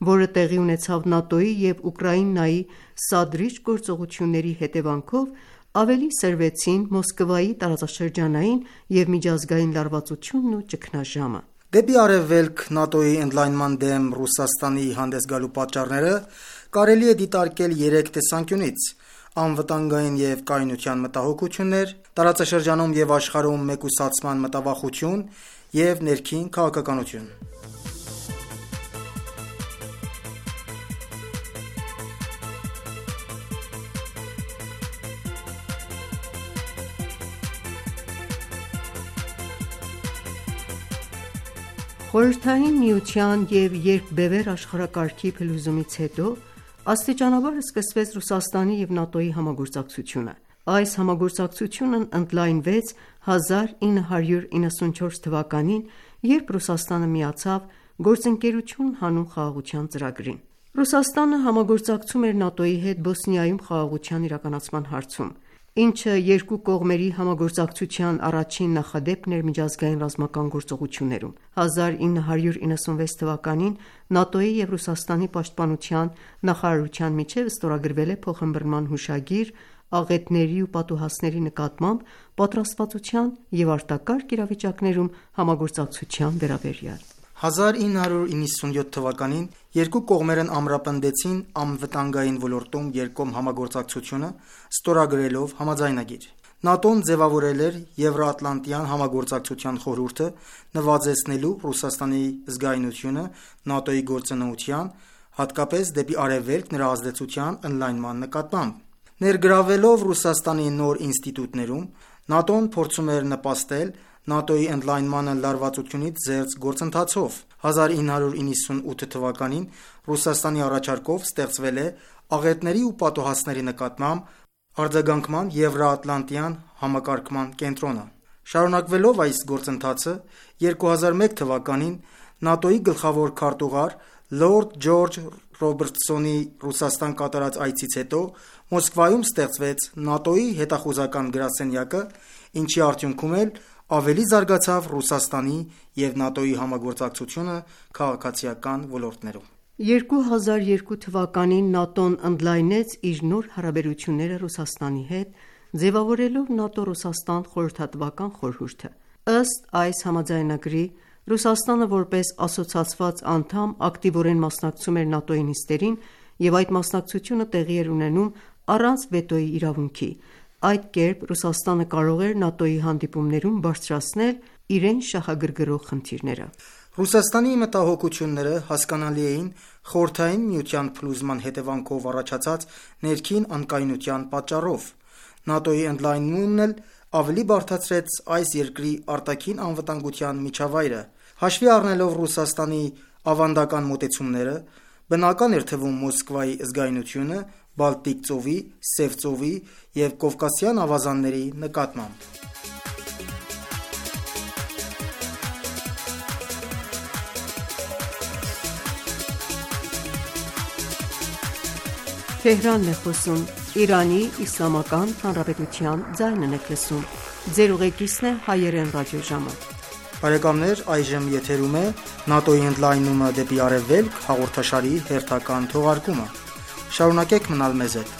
որը տեղի ունեցավ ՆԱՏՕ-ի և Ուկրաինայի սադրիչ գործողությունների հետևանքով, ավելի սրվեցին Մոսկվայի տարածաշրջանային և միջազգային լարվածությունն ու ճգնաժամը։ Դեպի Արևելք ՆԱՏՕ-ի ընդլայնման դեմ Ռուսաստանի հանդես գալու պատճառները կարելի է դիտարկել երեք տեսանկյունից՝ անվտանգային և կայունության մտահոգություններ, տարածաշրջանում և աշխարհում մեկուսացման մտավախություն և ներքին քաղաքականություն։ Խորհրդային Միության և երկբևեռ աշխարհակարգի փլուզումից հետո աստիճանաբար սկսվեց Ռուսաստանի և ՆԱՏՕ-ի համագործակցությունը։ Այս համագործակցությունն ընդլայնվեց հազար ինը հարյուր իննսունչորս թվականին, երբ Ռուսաստանը միացավ «Գործընկերություն հանուն խաղաղության» ծրագրին։ Ռուսաստանը համագործակցում էր ՆԱՏՕ-ի հետ Բոսնիայում խաղաղության իրականացման հարցում, ինչը երկու կողմերի համագործակցության առաջին նախադեպքն էր միջազգային ռազմական գործողություններում։ հազար ինը հարյուր իննսունվեց թվականին ՆԱՏՕ-ի և Ռուսաստանի պաշտպանության նախարարության միջև ստորագրվել է փոխըմբռնման հուշագիր՝ աղետների ու պատուհասների նկատմամբ պատրաստվածության և արտակարգ իրավիճակներում համագործակցության վերաբերյալ։ հազար ինը հարյուր իննսունյոթ թվականին երկու կողմերն ամրապնդեցին անվտանգային ոլորտում երկկողմ համագործակցությունը, ստորագրելով համաձայնագիր։ ՆԱՏՕ-ն ձևավորել էր Եվրոատլանտյան համագործակցության խորհուրդը՝ նվազեցնելու Ռուսաստանի զգայունությունը ՆԱՏՕ-ի գործունեության, հատկապես դեպի Արևելք նրա ազդեցության ընդլայնման նկատմամբ։ Ներգրավվելով Ռուսաստանի նոր ինստիտուտներում, ՆԱՏՕ-ն փորձում էր նպաստել ՆԱՏՕ-ի ընդլայնմանը լարվածությունից զերծ գործընթացով։ հազար ինը հարյուր իննսունութ թվականին Ռուսաստանի առաջարկով ստեղծվել է աղետների ու պատոհասների նկատմամբ արձագանքման Եվրաատլանտյան համակարգման կենտրոնը։ Շարունակվելով այս գործընթացը, երկու հազար մեկ թվականին ՆԱՏՕ-ի գլխավոր քարտուղար լորդ Ջորջ Ռոբերտսոնի Ռուսաստան կատարած այցից հետո Մոսկվայում ստեղծվեց ՆԱՏՕ-ի հետախուզական գրասենյակը, ինչի արդյունքում էլ ավելի զարգացավ Ռուսաստանի և ՆԱՏՕ-ի համագործակցությունը քաղաքացիական ոլորտներում։ երկու հազար երկու թվականին ՆԱՏՕ-ն ընդլայնեց իր նոր հարաբերությունները Ռուսաստանի հետ, ձևավորելով ՆԱՏՕ-Ռուսաստան խորհրդատվական խորհուրդը։ Ըստ այս համաձայնագրի, Ռուսաստանը որպես ասոցացված անդամ ակտիվորեն մասնակցում էր ՆԱՏՕ-ի նիստերին և այդ մասնակցությունը տեղի էր ունենում առանց վետոյի իրավունքի։ Այդ կերպ Ռուսաստանը կարող էր ՆԱՏՕ-ի հանդիպումներում բարձրացնել իրեն շահագրգռող խնդիրները։ Ռուսաստանի մտահոգությունները հասկանալի էին Խորհրդային Միության փլուզման հետևանքով առաջացած ներքին անկայունության պատճառով։ ՆԱՏՕ-ի ընդլայնումն էլ ավելի բարդացրեց այս երկրի արտաքին անվտանգության միջավայրը։ Հաշվի առնելով Ռուսաստանի ավանդական մոտեցումները, բնական էր թվում Մոսկվայի զգայունությունը Բալտիկ ծովի, Սև ծովի և Կովկասյան ավազանների նկատմամբ։ Շարունակեք մնալ մեզ հետ։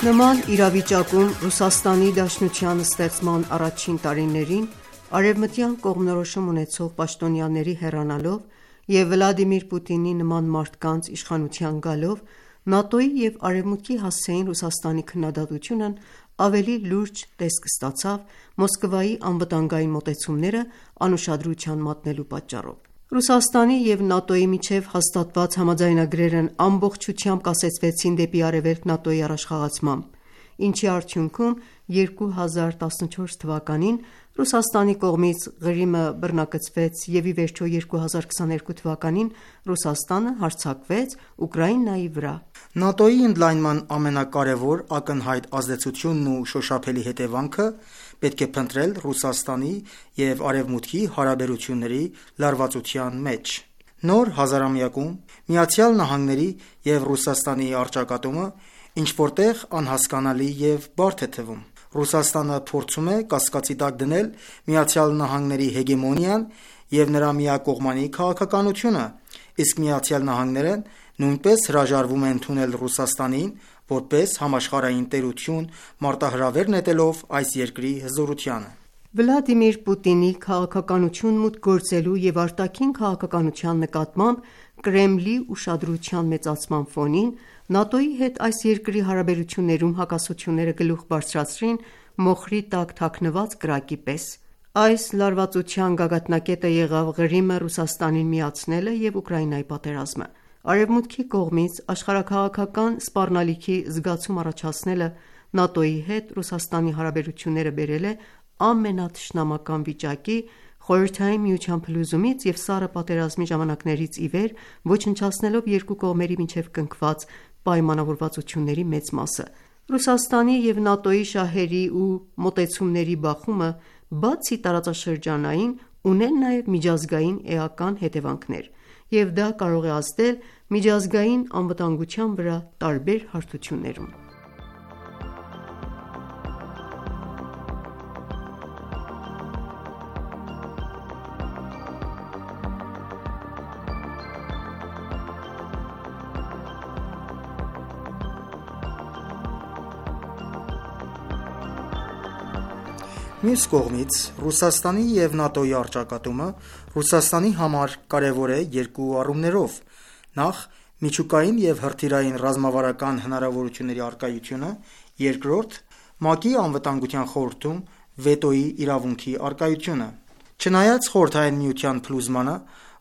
Նման իրավիճակում Ռուսաստանի Դաշնության ստեղծման առաջին տարիներին արևմտյան կողմնորոշում ունեցող պաշտոնյաների հեռանալով և Վլադիմիր Պուտինի նման մարդկանց իշխանության գալով ՆԱՏՕ-ի և Արևմուտքի հասցեին Ռուսաստանի քննադատությունն ավելի լուրջ տեսք ստացավ Մոսկվայի անվտանգային մոտեցումները անուշադրության մատնելու պատճառով։ Ռուսաստանի և ՆԱՏՕ-ի միջև հաստատված համաձայնագրերն ամբողջությամբ կասեցվեցին դեպի արևելք ՆԱՏՕ-ի առաջխաղացմամբ, ինչի արդյունքում երկու հազար տասնչորս թվականին Ռուսաստանի կողմից Ղրիմը բռնակցվեց և ի վերջո երկու հազար քսաներկու թվականին Ռուսաստանը հարձակվեց Ուկրաինայի վրա։ ՆԱՏՕ-ի ընդլայնման ամենակարևոր ակնհայտ ազդեցությունն ու շոշափելի հետևանքը պետք է փնտրել Ռուսաստանի և Արևմուտքի հարաբերությունների լարվածության մեջ։ Նոր հազարամյակում ԱՄՆ-ի և Ռուսաստանի առճակատումը ինչ-որ տեղ անհասկանալի և բարդ է թվում։ Ռուսաստանը փորձում է կասկածի տակ դնել ԱՄՆ-ի հեգեմոնիան և նրա միակողմանի քաղաքականությունը, իսկ ԱՄՆ-ն նույնպես հրաժարվում է ընդունել Ռուսաստանին որպես համաշխարհային տերություն, մարտահրավեր նետելով այս երկրի հզորությանը։ Վլադիմիր Պուտինի քաղաքականություն մուտք գործելու և արտաքին քաղաքականության նկատմամբ Կրեմլի ուշադրության մեծացման ֆոնին ՆԱՏՕ-ի հետ այս երկրի հարաբերություններում հակասությունները գլուխ բարձրացրին մոխրի տակ թաքնված կրակի պես։ Այս լարվածության գագաթնակետը եղավ Ղրիմը Ռուսաստանին միացնելը և Ուկրաինայի պատերազմը։ Արևմուտքի կողմից աշխարհաքաղաքական սպառնալիքի զգացում առաջացնելը ՆԱՏՕ-ի հետ Ռուսաստանի հարաբերությունները բերել է ամենաթշնամական վիճակի Խորհրդային Միության փլուզումից և Սառը պատերազմի ժամանակներից ի վեր, ոչնչացնելով երկու կողմերի միջև կնքված պայմանավորվածությունների մեծ մասը։ Ռուսաստանի և ՆԱՏՕ-ի շահերի ու մոտեցումների բախումը, բացի տարածաշրջանային, ուներ նաև միջազգային էական հետևանքներ, և դա կարող է ազդել միջազգային անվտանգության վրա տարբեր հարթություններում։ Մյուս կողմից Ռուսաստանի և ՆԱՏՕ-ի առճակատումը Ռուսաստանի համար կարևոր է երկու առումներով. նախ՝ միջուկային և հրթիռային ռազմավարական հնարավորությունների առկայությունը, երկրորդ՝ ՄԱԿ-ի Անվտանգության խորհրդում վետոյի իրավունքի առկայությունը։ Չնայած Խորհրդային Միության փլուզմանը,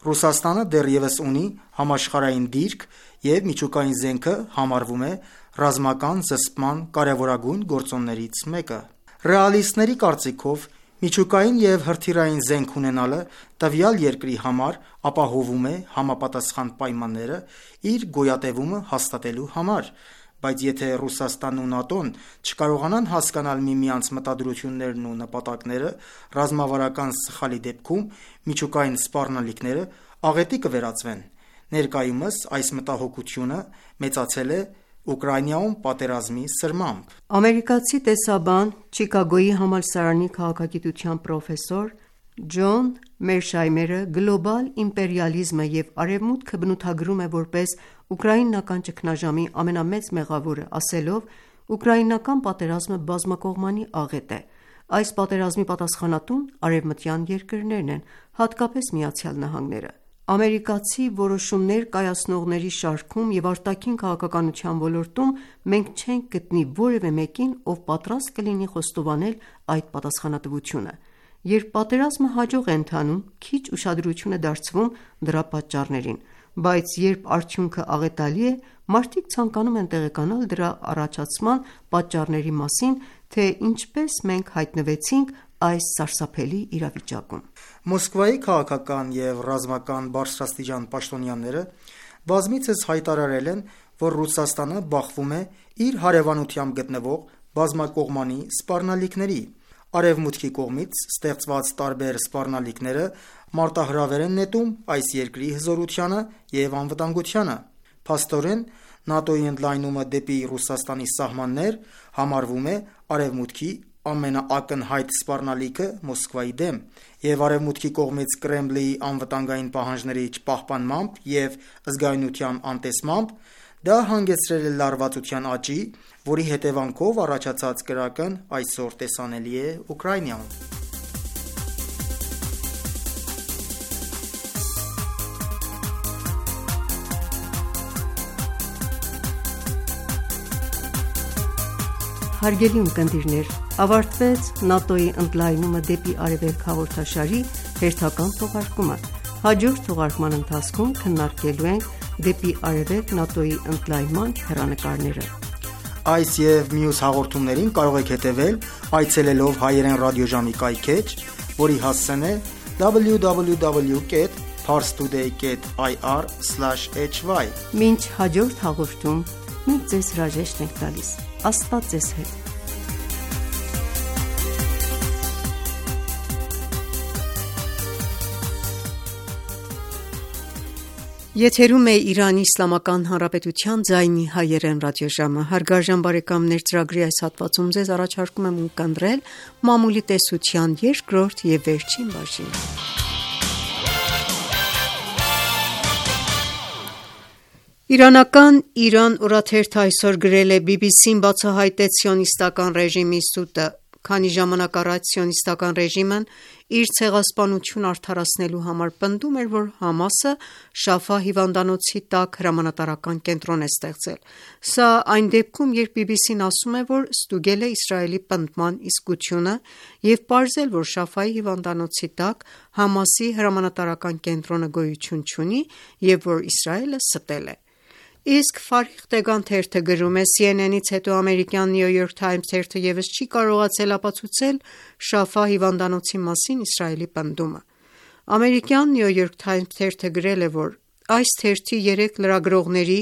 Ռուսաստանը դեռևս ունի համաշխարհային դիրք և միջուկային զենքը համարվում է ռազմական զսպման կարևորագույն գործոններից մեկը։ Ռեալիստների կարծիքով միջուկային և հրթիռային զենք ունենալը տվյալ երկրի համար ապահովում է համապատասխան պայմանները իր գոյատևումը հաստատելու համար, բայց եթե Ռուսաստանն ու ՆԱՏՕ-ն չկարողանան հասկանալ միմյանց մտադրություններն ու նպատակները, ռազմավարական սխալի դեպքում միջուկային սպառնալիքները աղետի կվերածվեն։ Ներկայումս այս մտահոգությունը մեծացել է Ուկրաինայում պատերազմի սրմամբ։ Ամերիկացի տեսաբան, Չիկագոյի համալսարանի քաղաքագիտության պրոֆեսոր Ջոն Մերշայմերը գլոբալ իմպերիալիզմը և Արևմուտքը բնութագրում է որպես ուկրաինական ճգնաժամի ամենամեծ մեղավորը, ասելով. «Ուկրաինական պատերազմը բազմակողմանի աղետ է։ Այս պատերազմի պատասխանատուն արևմտյան երկրներն են, հատկապես Միացյալ Նահանգները։ Ամերիկացի որոշումներ կայացնողների շարքում և արտաքին քաղաքականության ոլորտում մենք չենք գտնի որևէ մեկին, ով պատրաստ կլինի խոստովանել այդ պատասխանատվությունը։ Երբ պատերազմը հաջող է ընթանում, քիչ ուշադրություն է դարձվում դրա պատճառներին, բայց երբ արդյունքը աղետալի է, մարդիկ ցանկանում են տեղեկանալ դրա առաջացման պատճառների մասին, թե ինչպես մենք հայտնվեցինք այս սարսափելի իրավիճակում»։ Մոսկվայի քաղաքական և ռազմական բարձրաստիճան պաշտոնյաները բազմիցս հայտարարել են, որ Ռուսաստանը բախվում է իր հարևանությամբ գտնվող բազմակողմանի սպառնալիքների։ Արևմուտքի կողմից ստեղծված տարբեր սպառնալիքները մարտահրավեր են նետում այս երկրի հզորությանը և անվտանգությանը։ Փաստորեն, ՆԱՏՕ-ի ընդլայնումը դեպի Ռուսաստանի սահմաններ համարվում է Արևմուտքի ամենաակնհայտ սպառնալիքը Մոսկվայի դեմ, և Արևմուտքի կողմից Կրեմլի անվտանգային պահանջների չպահպանմամբ և զգայունության անտեսմամբ դա հանգեցրել է լարվածության աճի, որի հետևանքով առաջացած կրակն այսօր տեսանելի է Ուկրաինայում։ Հարգելի ունկնդիրներ, ավարտվեց ՆԱՏՕ-ի ընդլայնումը դեպի Արևելք հաղորդաշարի հերթական թողարկումը։ Հաջորդ թողարկման ընթացքում քննարկելու ենք դեպի Արևելք ՆԱՏՕ-ի ընդլայնման հեռանկարները։ Այս և մյուս հաղորդումներին կարող եք հետևել այցելելով հայերեն ռադիոժամի կայքէջ, որի հասցեն է դաբլյու դաբլյու դաբլյու դոտ փարստուդեյ դոտ այ առ սլաշ էյչ վայ։ Մինչ հաջորդ հաղորդում, մենք ձեզ հրաժեշտ ենք տալիս։ Աստված ձեզ հետ։ Եթերում է Իրանի Իսլամական Հանրապետության ձայնի հայերեն ռադիոժամը։ Հարգարժան բարեկամներ, ծրագրի այս հատվածում ձեզ առաջարկում եմ ունկնդրել մամուլի տեսության երկրորդ և վերջին բաժինը։ Իրանական «Իրան» օրաթերթը այսօր գրել է. «Բի Բի Սին բացահայտեց սիոնիստական ռեժիմի սուտը, քանի ժամանակ առաջ սիոնիստական ռեժիմն իր ցեղասպանությունը արդարացնելու համար պնդում էր, որ ՀԱՄԱՍ-ը Շաֆա հիվանդանոցի տակ հրամանատարական կենտրոն է ստեղծել։ Սա այն դեպքում, երբ Բի Բի Սին ասում է, որ ստուգել է Իսրայելի պնդման իսկությունը և պարզել, որ Շաֆայի հիվանդանոցի տակ ՀԱՄԱՍ-ի հրամանատարական կենտրոնը գոյություն չունի և որ Իսրայելը ստել է»։ Իսկ Ֆարիղ Տեգան թերթը գրում է. «Սի Են Են-ից հետո ամերիկյան New York Times թերթը ևս չի կարողացել ապացուցել Շաֆա հիվանդանոցի մասին Իսրայելի պնդումը»։ Ամերիկյան New York Times թերթը գրել է, որ այս թերթի երեք լրագրողների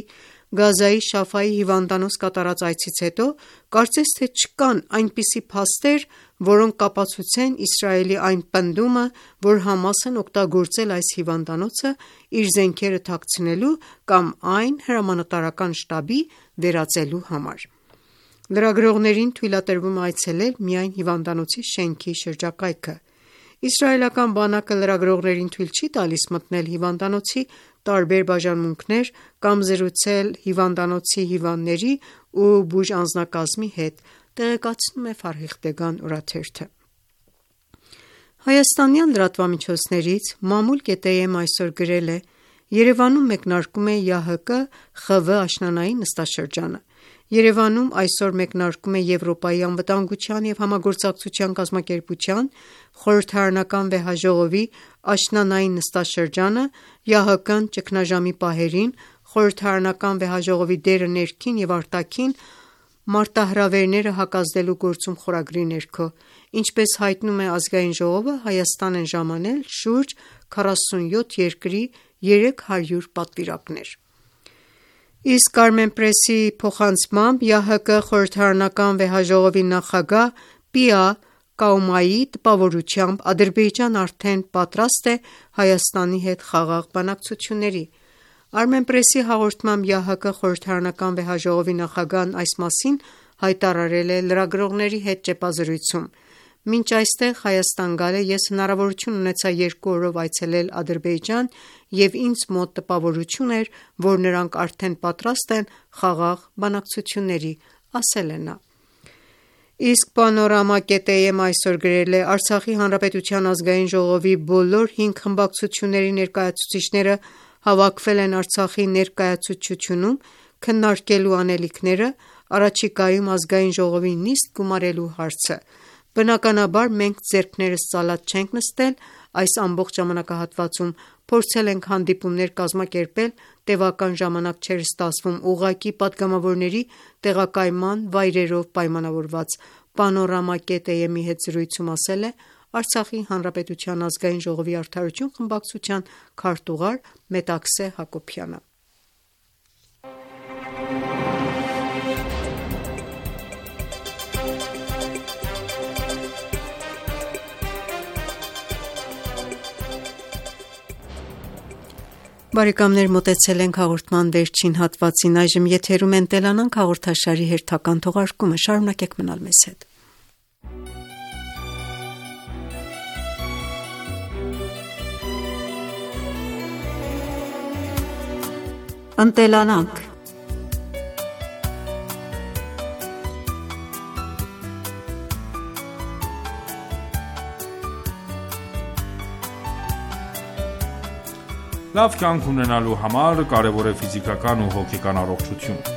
Գազայի Շաֆայի հիվանդանոց կատարած այցից հետո կարծես թե չկան այնպիսի փաստեր, որոնք կապացուցեն Իսրայելի այն պնդումը, որ ՀԱՄԱՍ-ն օգտագործել այս հիվանդանոցը իր զենքերը թաքցնելու կամ այն հրամանատարական շտաբի վերածելու համար։ Լրագրողներին թույլատրվում է այցելել միայն հիվանդանոցի շենքի շրջակայքը։ Իսրայելական բանակը լրագրողներին թույլ չի տալիս մտնել հիվանդանոցի տարբեր բաժանմունքներ կամ զրուցել հիվանդանոցի հիվանդների ու բուժանձնակազմի հետ, տեղեկացնում է Ֆարիղ Տեգան օրաթերթը։ Հայաստանյան լրատվամիջոցներից Մամուլ.am այսօր գրել է. «Երևանում մեկնարկում է ԵԱՀԿ ԽՎ աշնանային նստաշրջանը։ Երևանում այսօր մեկնարկում է Եվրոպայի անվտանգության և համագործակցության կազմակերպության խորհրդարանական վեհաժողովի աշնանային նստաշրջանը, ԵԱՀԿ-ն ճգնաժամի պահերին խորհրդարանական վեհաժողովի դերը ներքին և արտաքին մարտահրավերները հակազդելու գործում խորագրի ներքո: Ինչպես հայտնում է Ազգային ժողովը, Հայաստան են ժամանել շուրջ քառասունյոթ երկրի երեք հարյուր պատվիրակներ: Իսկ Armenpress-ի փոխանցմամբ ԵԱՀԿ խորհրդարանական վեհաժողովի նախագահ Պիա Կաումայի տպավորությամբ Ադրբեջանն արդեն պատրաստ է Հայաստանի հետ խաղաղ բանակցությունների: Armenpress-ի հաղորդմամբ ԵԱՀԿ խորհրդարանական վեհաժողովի նախագահն այս մասին հայտարարել է լրագրողների հետ ճեպազրույցում: Մինչ այստեղ Հայաստան գալը ես հնարավորություն ունեցա երկու օրով այցելել Ադրբեջան և ինձ մոտ տպավորություն էր, որ նրանք արդեն պատրաստ են խաղաղ բանակցությունների, ասել է նա: Իսկ Panorama.am այսօր գրել է. Արցախի հանրապետության ազգային ժողովի բոլոր հինգ խմբակցությունների ներկայացուցիչները հավաքվել են Արցախի ներկայացուցչությունում քննարկելու անելիքները առաջիկայում ազգային ժողովին նիստ գումարելու հարցը: Բնականաբար մենք ձեռքներս ծալած չենք նստել, այս ամբողջ ժամանակահատվածում փորձել ենք հանդիպումներ կազմակերպել, տևական ժամանակ չէր ստացվում ուղղակի պատգամավորների տեղակայման վայրերով պայմանավորված: Panorama.am-ի հետ զրույցում ասել է Արցախի հանրապետության ազգային ժողովի Արդարություն խմբակցության քարտուղար Մետաքսե Հակոբյանը: Բարեկամներ, մոտեցել ենք հաղորդման վերջին հատվածին: Այժմ եթերում է «Ընտելանանք» հաղորդաշարի հերթական թողարկումը: Շարունակեք մնալ մեզ հետ: «Ընտելանանք» Լավ կյանք ունենալու համար կարևոր է ֆիզիկական ու հոգեկան առողջությունը: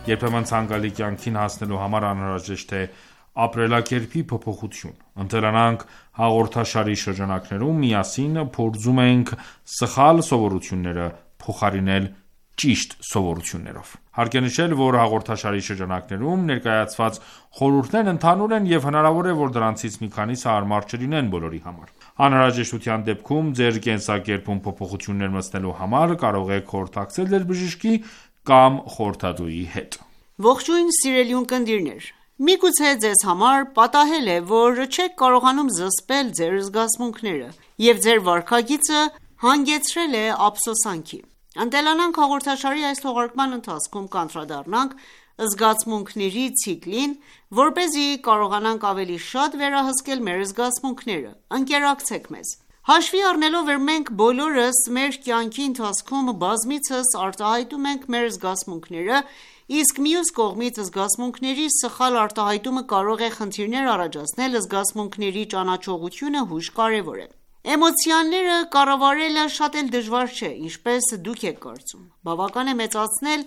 Երբեմն ցանկալի կյանքին հասնելու համար անհրաժեշտ է ապրելակերպի փոփոխություն: «Ընտելանանք» հաղորդաշարի շրջանակներում միասին փորձում ենք սխալ սովորությունները փոխարինել ճիշտ սովորություններով: Հարկ է նշել, որ հաղորդաշարի շրջանակներում ներկայացված խորհուրդներն ընդհանուր են և հնարավոր է, որ դրանցից մի քանիսը հարմար չլինեն բոլորի համար: Անհրաժեշտության դեպքում ձեր կենսակերպում փոփոխություններ մտցնելու համար կարող եք խորհրդակցել ձեր բժշկի կամ խորհրդատուի հետ: Ողջույն սիրելի ունկնդիրներ: Միգուցե ձեզ համար պատահել է, որ չեք կարողանում զսպել ձեր զգացմունքները և ձեր վարքագիծը հանգեցրել է ափսոսանքի: «Ընտելանանք» հաղորդաշարի այս թողարկման ընթացքում կանդրադառնանք զգացմունքների ցիկլին, որպեսզի կարողանանք ավելի շատ վերահսկել մեր զգացմունքները: Ընկերակցեք մեզ: Հաշվի առնելով, որ մենք բոլորս մեր կյանքի ընթացքում բազմիցս արտահայտում ենք մեր զգացմունքները, իսկ մյուս կողմից զգացմունքների սխալ արտահայտումը կարող է խնդիրներ առաջացնել, զգացմունքների ճանաչողությունը հույժ կարևոր է: Էմոցիաները կառավարելը շատ էլ դժվար չէ, ինչպես դուք եք կարծում: Բավական է մեծացնել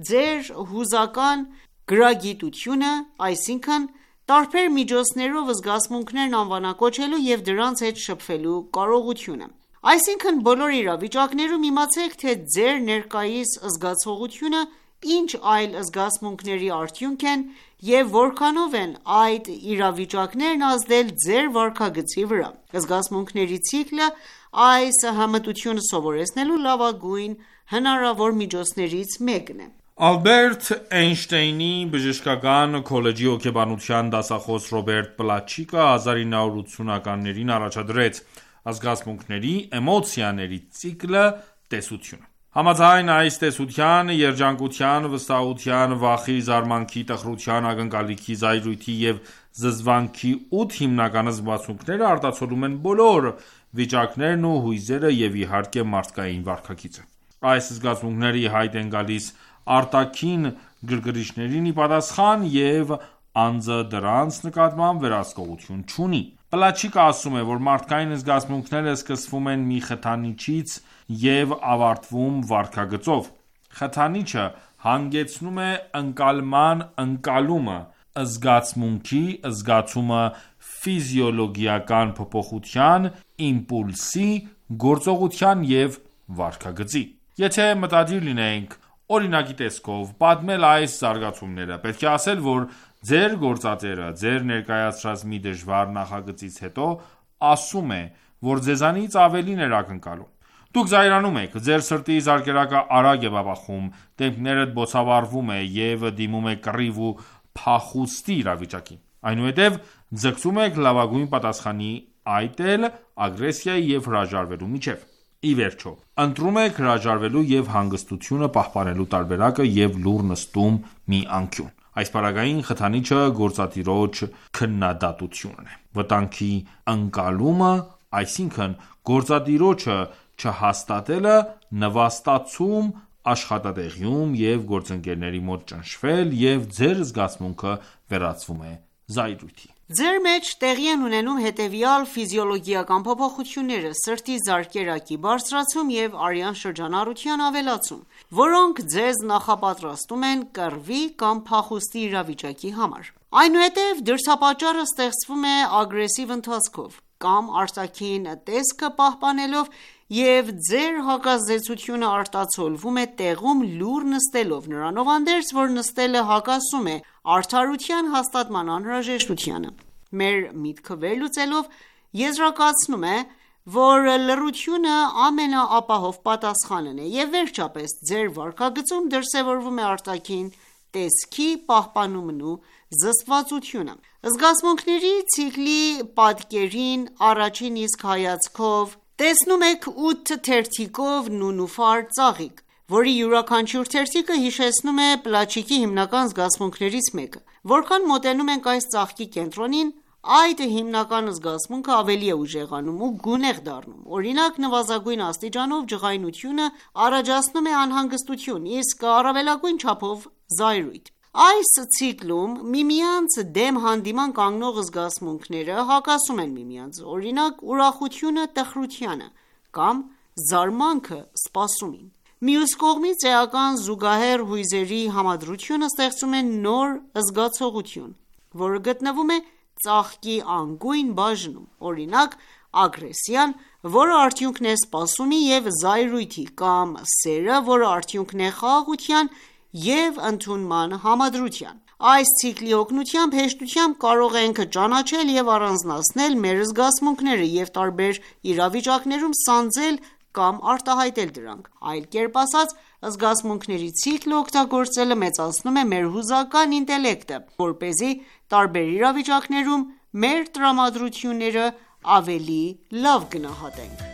ձեր հուզական գրագիտությունը, այսինքն տարբեր միջոցներով զգացմունքներն անվանակոչելու և դրանց հետ շփվելու կարողությունը: Այսինքն բոլոր իրավիճակներում իմացեք, թե ձեր ներկայիս զգացողությունը ինչ այլ զգացմունքների արդյունք են և որքանով են այդ իրավիճակներն ազդել ձեր վարքագծի վրա: Զգացմունքների ցիկլը այս հմտությունը սովորեցնելու լավագույն հնարավոր միջոցներից մեկն է: Ալբերտ Էյնշտեյնի բժշկական քոլեջի հոգեբանության դասախոս Ռոբերտ Պլաչիկը հազար ինը հարյուր ութսունականներին առաջադրեց «Զգացմունքների, էմոցիաների ցիկլը» տեսությունը: Համաձայն այս տեսության, երջանկության, վստահության, վախի, զարմանքի, տխրության, ակնկալիքի, զայրույթի և զզվանքի ութ հիմնական զգացմունքները արտացոլում են բոլոր վիճակներն ու հույզերը և իհարկե մարդկային վարքագիծը: Այս զգացմունքները ի հայտ են գալիս արտաքին գրգռիչներին ի պատասխան և անձը դրանց նկատմամբ վերահսկողություն չունի: Պլաչիկը ասում է, որ մարդկային զգացմունքները սկսվում են մի խթանիչից և ավարտվում վարքագծով: Խթանիչը հանգեցնում է ընկալման ընկալումը, զգացմունքի զգացումը ֆիզիոլոգիական փոփոխության, իմպուլսի, գործողության և վարքագծի։ Եթե մտադիր լինենք օրինակի տեսքով պատմել այս զարգացումները, պետք է ասել, որ ձեր գործատերը ձեր ներկայացրած մի դժվար նախագծից հետո ասում է, որ ձեզանից ավելին էր ակնկալում։ Դուք զայրանում եք, ձեր սրտի զարկերակը արագ է բաբախում, դեմքներդ բոցավառվում է և դիմում է կռիվ ու փախուստի իրավիճակին։ Այնուհետև ձգտում եք լավագույն պատասխանի այտել ագրեսիայի և հրաժարվելու միջև։ Ի վերջո, ընտրում եք հրաժարվելու և հանգստությունը պահպանելու տարբերակը և լուռ նստում մի անկյուն։ Այս պարագային խթանիչը գործատիրոջ քննադատությունն է։ Վտանգի ընկալումը, այսինքն գործատիրոջը չհաստատելը, նվաստացում աշխատատեղիում և գործընկերների մոտ ճնշվել, և ձեր զգացմունքը վերածվում է զայրույթի։ Ձեր մեջ տեղի են ունենում հետևյալ ֆիզիոլոգիական փոփոխությունները՝ սրտի զարկերակի բարձրացում և արյան շրջանառության ավելացում, որոնք ձեզ նախապատրաստում են կռվի կամ փախուստի իրավիճակի համար։ Այնուհետև դրդապատճառը ստեղծվում է ագրեսիվ ընթացքով կամ արտաքին տեսքը պահպանելով, և ձեր հակազդեցությունը արտացոլվում է տեղում լուռ նստելով, նրանով հանդերձ, որ նստելը հակասում է արդարության հաստատման անհրաժեշտությանը։ Մեր միտքը վերլուծելով եզրակացնում է, որ լռությունը ամենաապահով պատասխանն է, և վերջապես ձեր վարքագծում դրսևորվում է արտաքին տեսքի պահպանումն ու զսպվածությունը։ Զգացմունքների ցիկլի պատկերին առաջին իսկ հայացքով տեսնում եք ութ թերթիկով նունուֆար ծաղիկ, որի յուրաքանչյուր թերթիկը հիշեցնում է պլաչիկի հիմնական զգացմունքներից մեկը։ Որքան մոտենում ենք այս ծաղկի կենտրոնին, այդ հիմնական զգացմունքը ավելի է ուժեղանում ու գունեղ դառնում։ Օրինակ, նվազագույն աստիճանով ջղայնությունը առաջացնում է անհանգստություն, իսկ առավելագույն չափով զայրույթ։ Այս ցիկլում միմյանց դեմ հանդիման կանգնող զգացմունքները հակասում են միմյանց, օրինակ, ուրախությունը տխրությանը կամ զարմանքը սպասումին։ Մյուս կողմից, էական զուգահեռ հույզերի համադրությունը ստեղծում է նոր զգացողություն, որը գտնվում է ծաղկի անգույն բաժնում, օրինակ, ագրեսիան, որը արդյունքն է սպասումի և զայրույթի, կամ սերը, որը արդյունքն է խաղաղության և ընդունման համադրության։ Այս ցիկլի օգնությամբ հեշտությամբ կարող ենք ճանաչել և առանձնացնել մեր զգացմունքները և տարբեր իրավիճակներում սանձել կամ արտահայտել դրանք։ Այլ կերպ ասած, զգացմունքների ցիկլը օգտագործելը մեծացնում է մեր հուզական ինտելեկտը, որպեսզի տարբեր իրավիճակներում մեր տրամադրությունները ավելի լավ գնահատենք։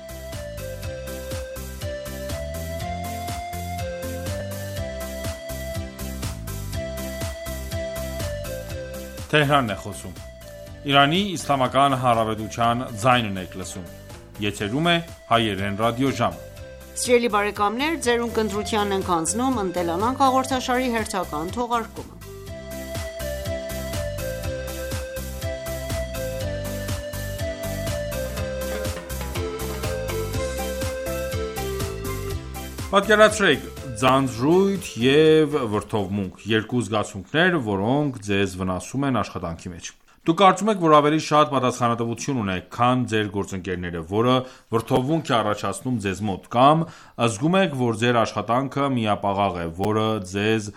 Պատկերացրեք ձանձրույթ և վրդովմունք՝ երկու զգացմունքներ, որոնք ձեզ վնասում են աշխատանքի մեջ։ Դուք կարծում եք, որ ավելի շատ պատասխանատվություն ունեք, քան ձեր գործընկերները, որը վրդովմունք է առաջացնում ձեզ մոտ, կամ զգում եք, որ ձեր աշխատանքը միապաղաղ է, որը ձեզ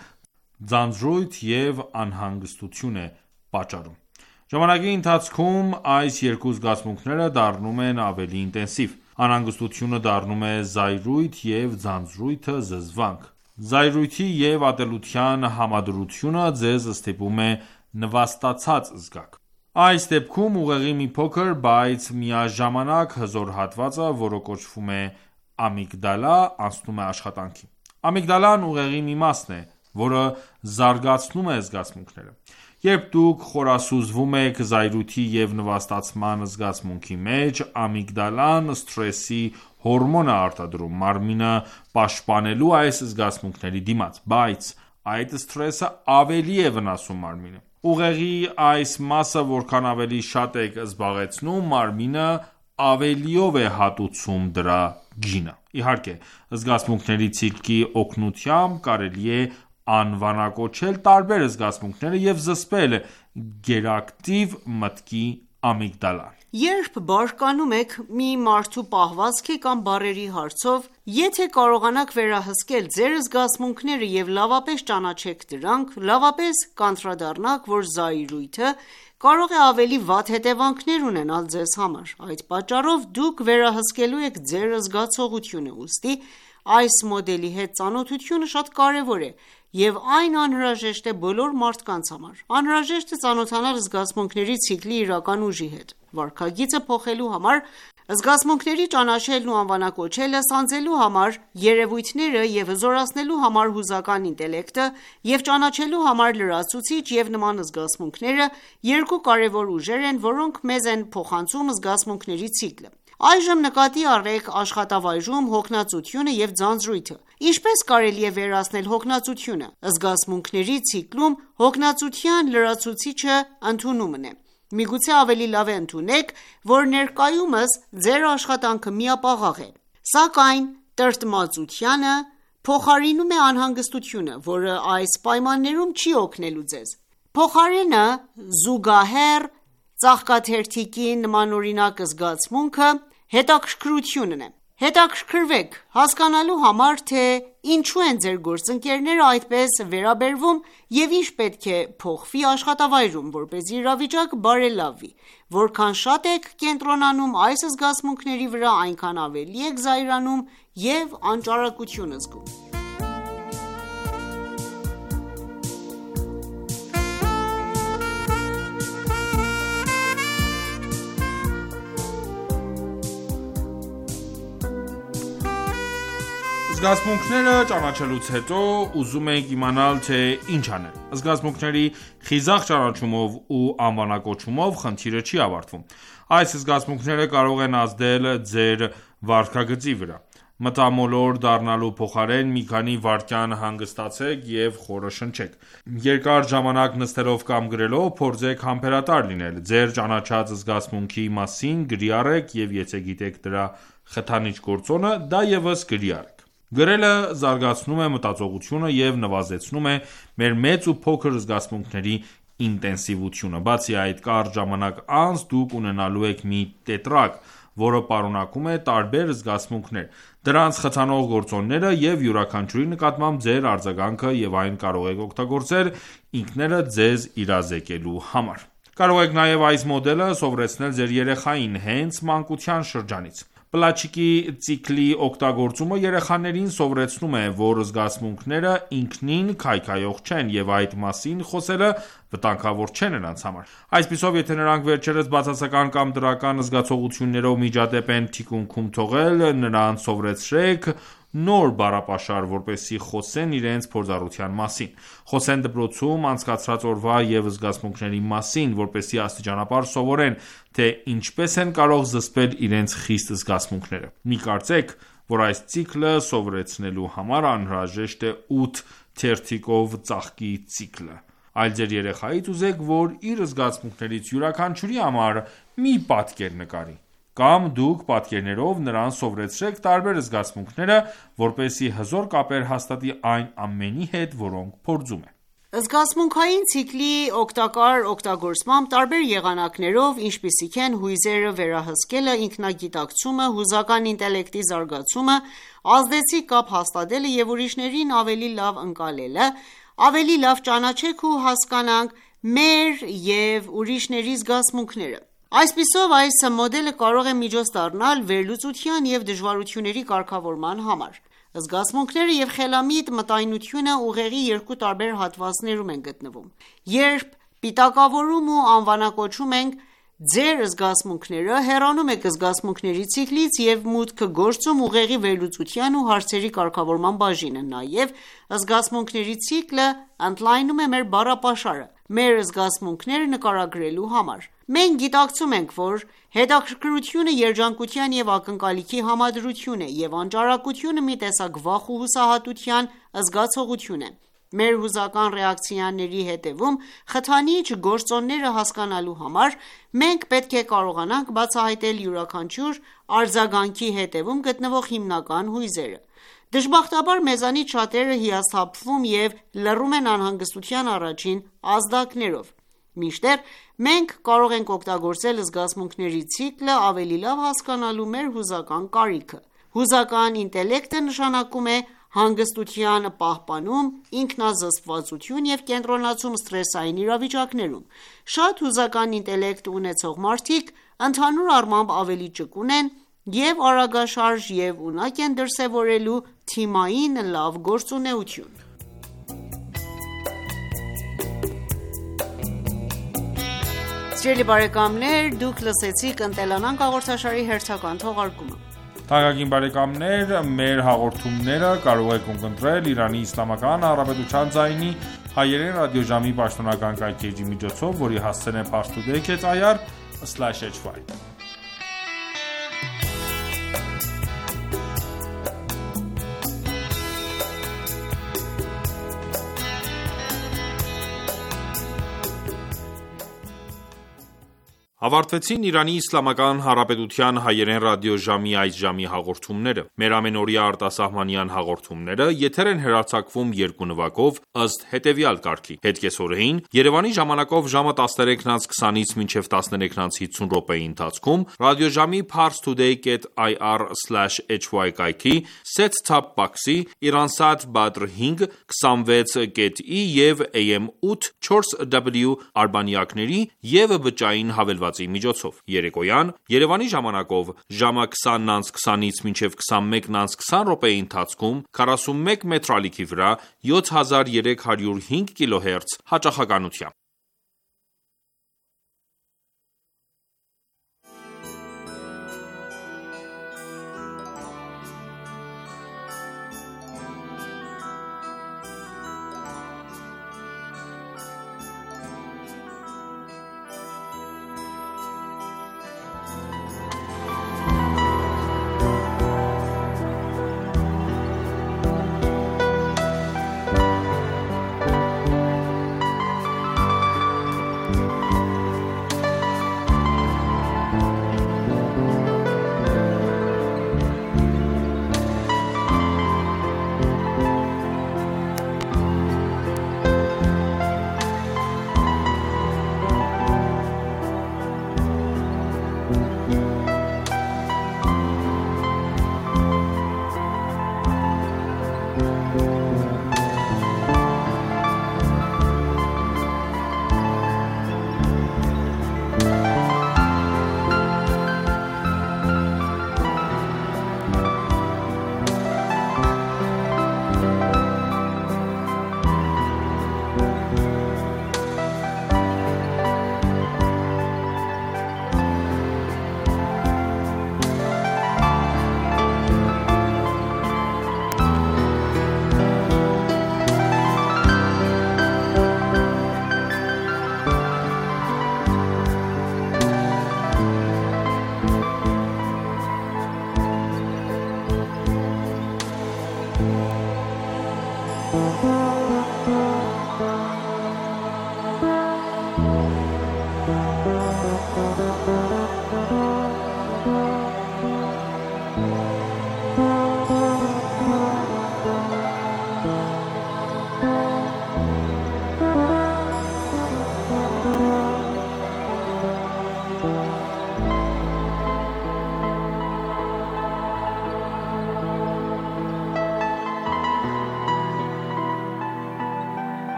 ձանձրույթ և անհանգստություն է պատճառում։ Ժամանակի ընթացքում այս երկու զգացմունքները դառնում են ավելի ինտենսիվ։ Անհանգստությունը դառնում է զայրույթ և ձանձրույթը զզվանք։ Զայրույթի և ատելության համադրությունը ձեզ ստիպում է նվաստացած զգաք։ Այս դեպքում ուղեղի մի փոքր, բայց միաժամանակ հզոր հատվածը, որը կոչվում է ամիգդալա, անցնում է աշխատանքի։ Ամիգդալան ուղեղի մի մասն է, որը զարգացնում է զգացմունքները։ Երբ դուք խորասուզվում եք զայրույթի և նվաստացման զգացմունքի մեջ, ամիգդալան սթրեսի հորմոն է արտադրում մարմինը պաշտպանելու այս զգացմունքների դիմաց, բայց այդ սթրեսը ավելի է վնասում մարմինը։ Ուղեղի այս մասը որքան ավելի շատ եք զբաղեցնում, մարմինը ավելիով է հատուցում դրա գինը։ Իհարկե, զգացմունքների ցիկլի օգնությամբ կարելի է անվանակոչել տարբեր զգացմունքները և զսպել գերակտիվ մտքի ամիգդալան: Երբ բարկանում եք մի մարդու պահվածքի կամ բառերի հարցով, եթե կարողանաք վերահսկել ձեր զգացմունքները և լավապես ճանաչեք դրանք, լավապես կանդրադառնաք, որ զայրույթը կարող է ավելի վատ հետևանքներ ունենալ ձեզ համար: Այդ պատճառով դուք վերահսկելու եք ձեր զգացողությունը: Ուստի այս մոդելի հետ ծանոթությունը շատ կարևոր է և այն անհրաժեշտ է բոլոր մարդկանց համար: Անհրաժեշտ է ծանոթանալ զգացմունքների ցիկլի իրական ուժի հետ: Վարքագիծը փոխելու համար, զգացմունքների ճանաչելն ու անվանակոչելը, սանձելու համար երևույթները և հզորացնելու համար հուզական ինտելեկտը և ճանաչելու համար լրացուցիչ և նման զգացմունքները երկու կարևոր ուժեր են, որոնք մեզ են փոխանցում զգացմունքների ցիկլը: Այժմ նկատի առեք աշխատավայրում հոգնածությունը և ձանձրույթը: Ինչպես կարելի է վերացնել հոգնածությունը: Զգացմունքների ցիկլում հոգնածության լրացուցիչը ընդունումն է: Միգուցե ավելի լավ է ընդունեք, որ ներկայումս ձեր աշխատանքը միապաղաղ է: Սակայն տրտմածությանը փոխարինում է անհանգստությունը, որը այս պայմաններում չի օգնելու ձեզ: Փոխարենը, զուգահեռ ծաղկաթերթիկի նմանօրինակ զգացմունքը հետաքրքրությունն է: Հետաքրքրվեք հասկանալու համար, թե ինչու են ձեր գործընկերները այդպես վերաբերվում և ինչ պետք է փոխվի աշխատավայրում, որպեսզի իրավիճակը բարելավվի: Որքան շատ եք կենտրոնանում այս զգացմունքների վրա, այնքան ավելի եք զայրանում և անճարակություն զգում: Զգացմունքները ճանաչելուց հետո ուզում ենք իմանալ, թե ինչ անել: Զգացմունքների խիզախ ճանաչումով ու անվանակոչումով խնդիրը չի ավարտվում: Այս զգացմունքները կարող են ազդել ձեր վարքագծի վրա: Մտամոլոր դառնալու փոխարեն մի քանի վայրկյան հանգստացեք և խորը շնչեք: Երկար ժամանակ նստելով կամ գրելով, փորձեք համբերատար լինել: Ձեր ճանաչած զգացմունքի մասին գրի առեք և եթե գիտեք դրա խթանիչ գործոնը, դա ևս գրի առեք: Գրելը զարգացնում է մտածողությունը և նվազեցնում է մեր մեծ ու փոքր զգացմունքների ինտենսիվությունը: Բացի այդ, կարճ ժամանակ անց դուք ունենալու եք մի տետրակ, որը պարունակում է տարբեր զգացմունքներ, դրանց խթանող գործոնները և յուրաքանչյուրի նկատմամբ ձեր արձագանքը և այն կարող եք օգտագործել ինքներդ ձեզ իրազեկելու համար: Կարող եք նաև այս մոդելը սովորեցնել ձեր երեխային հենց մանկության շրջանից: Պլաչիկի ցիկլի օգտագործումը երեխաներին սովորեցնում է, որ զգացմունքները ինքնին քայքայող չեն և այդ մասին խոսելը վտանգավոր չէ նրանց համար: Այսպիսով, եթե նրանք վերջերս բացասական կամ դրական զգացողություններով միջադեպ են թիկունքում թողել, նրանց սովորեցրեք նոր բառապաշար, որպեսզի խոսեն իրենց փորձառության մասին: Խոսեն դպրոցում անցկացրած օրվա և զգացմունքների մասին, որպեսզի աստիճանաբար սովորեն, թե ինչպես են կարող զսպել իրենց խիստ զգացմունքները: Մի կարծեք, որ այս ցիկլը սովորեցնելու համար անհրաժեշտ է ութ թերթիկով ծաղկի ցիկլը: Այլ ձեր երեխայից ուզեք, որ իր զգացմունքներից յուրաքանչյուրի համար մի պատկեր նկարի: Կամ դուք պատկերներով նրան սովորեցրեք տարբեր զգացմունքները, որպեսզի հզոր կապեր հաստատի այն ամենի հետ, որոնք փորձում է: Զգացմունքային ցիկլի օգտակար օգտագործմամբ տարբեր եղանակներով, ինչպիսիք են հույզերը վերահսկելը, ինքնագիտակցումը, հուզական ինտելեկտի զարգացումը, ազդեցիկ կապ հաստատելը և ուրիշներին ավելի լավ ընկալելը, ավելի լավ ճանաչենք ու հասկանանք մեր և ուրիշների զգացմունքները: Այսպիսով, այս մոդելը կարող է միջոց դառնալ վերլուծության և դժվարությունների կարգավորման համար: Զգացմունքները և խելամիտ մտայնությունը ուղեղի երկու տարբեր հատվածներում են գտնվում: Երբ պիտակավորում ու անվանակոչում ենք ձեր զգացմունքները, հեռանում եք զգացմունքների ցիկլից և մուտք գործում ուղեղի վերլուծության ու հարցերի կարգավորման բաժինը: Նաև զգացմունքների ցիկլը ընդլայնում է մեր բառապաշարը, մեր զգացմունքները նկարագրելու համար: Մենք գիտակցում ենք, որ հետաքրքրությունը երջանկության և ակնկալիքի համադրություն է, և անճարակությունը մի տեսակ վախ ու հուսահատության զգացողություն է: Մեր հուզական ռեակցիաների հետևում խթանիչ գործոնները հասկանալու համար, մենք պետք է կարողանանք բացահայտել յուրաքանչյուր արձագանքի հետևում գտնվող հիմնական հույզերը: Դժբախտաբար մեզանից շատերը հիասթափվում և լռում են անհանգստության առաջին ազդակներով: Մինչդեռ մենք կարող ենք օգտագործել զգացմունքների ցիկլը ավելի լավ հասկանալու մեր հուզական կարիքը: Հուզական ինտելեկտը նշանակում է հանգստության պահպանում, ինքնազսպվածություն և կենտրոնացում սթրեսային իրավիճակներում: Շատ հուզական ինտելեկտ ունեցող մարդիկ ընդհանուր առմամբ ավելի ճկուն են և արագաշարժ և ունակ են դրսևորելու թիմային լավ գործունեություն: Մեր հաղորդումները կարող եք ունկնդրել Իրանի Իսլամական Հանրապետության ձայնի հայերեն ռադիոժամի պաշտոնական կայքէջի միջոցով, որի հասցեն է parstoday dot i r slash h y: Ավարտվեցին Իրանի Իսլամական Հանրապետության հայերեն ռադիոժամի այս ժամի հաղորդումները: Մեր ամենօրյա արտասահմանյան հաղորդումները եթեր են հեռարձակվում երկու նվագով, ըստ հետևյալ կարգի: Հետկեսօրեին Երևանի ժամանակով ժամը տասներեքն անց քսանից մինչև տասներեքն անց հիսուն րոպեի ընթացքում ռադիոժամի parstoday dot i r slash h y կայքի set-top box-ի, Iransat Badr հինգ, քսանվեց կետ ի և A M ութ չորս W արբանյակների և բջջային հավելվածի միջոցով: Երեկոյան Երևանի ժամանակով ժամը քսանն անց քսանից մինչև քսանմեկն անց քսան րոպեի ընթացքում քառասունմեկ մետր ալիքի վրա յոթ հազար երեք հարյուր հինգ կիլոհերց հաճախականությամբ: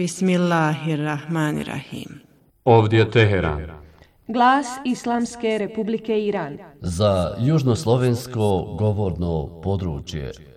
Bismillahirrahmanirrahim. Ovdje Teheran. Glas Islamske Republike Iran. Za južnoslovensko govorno područje.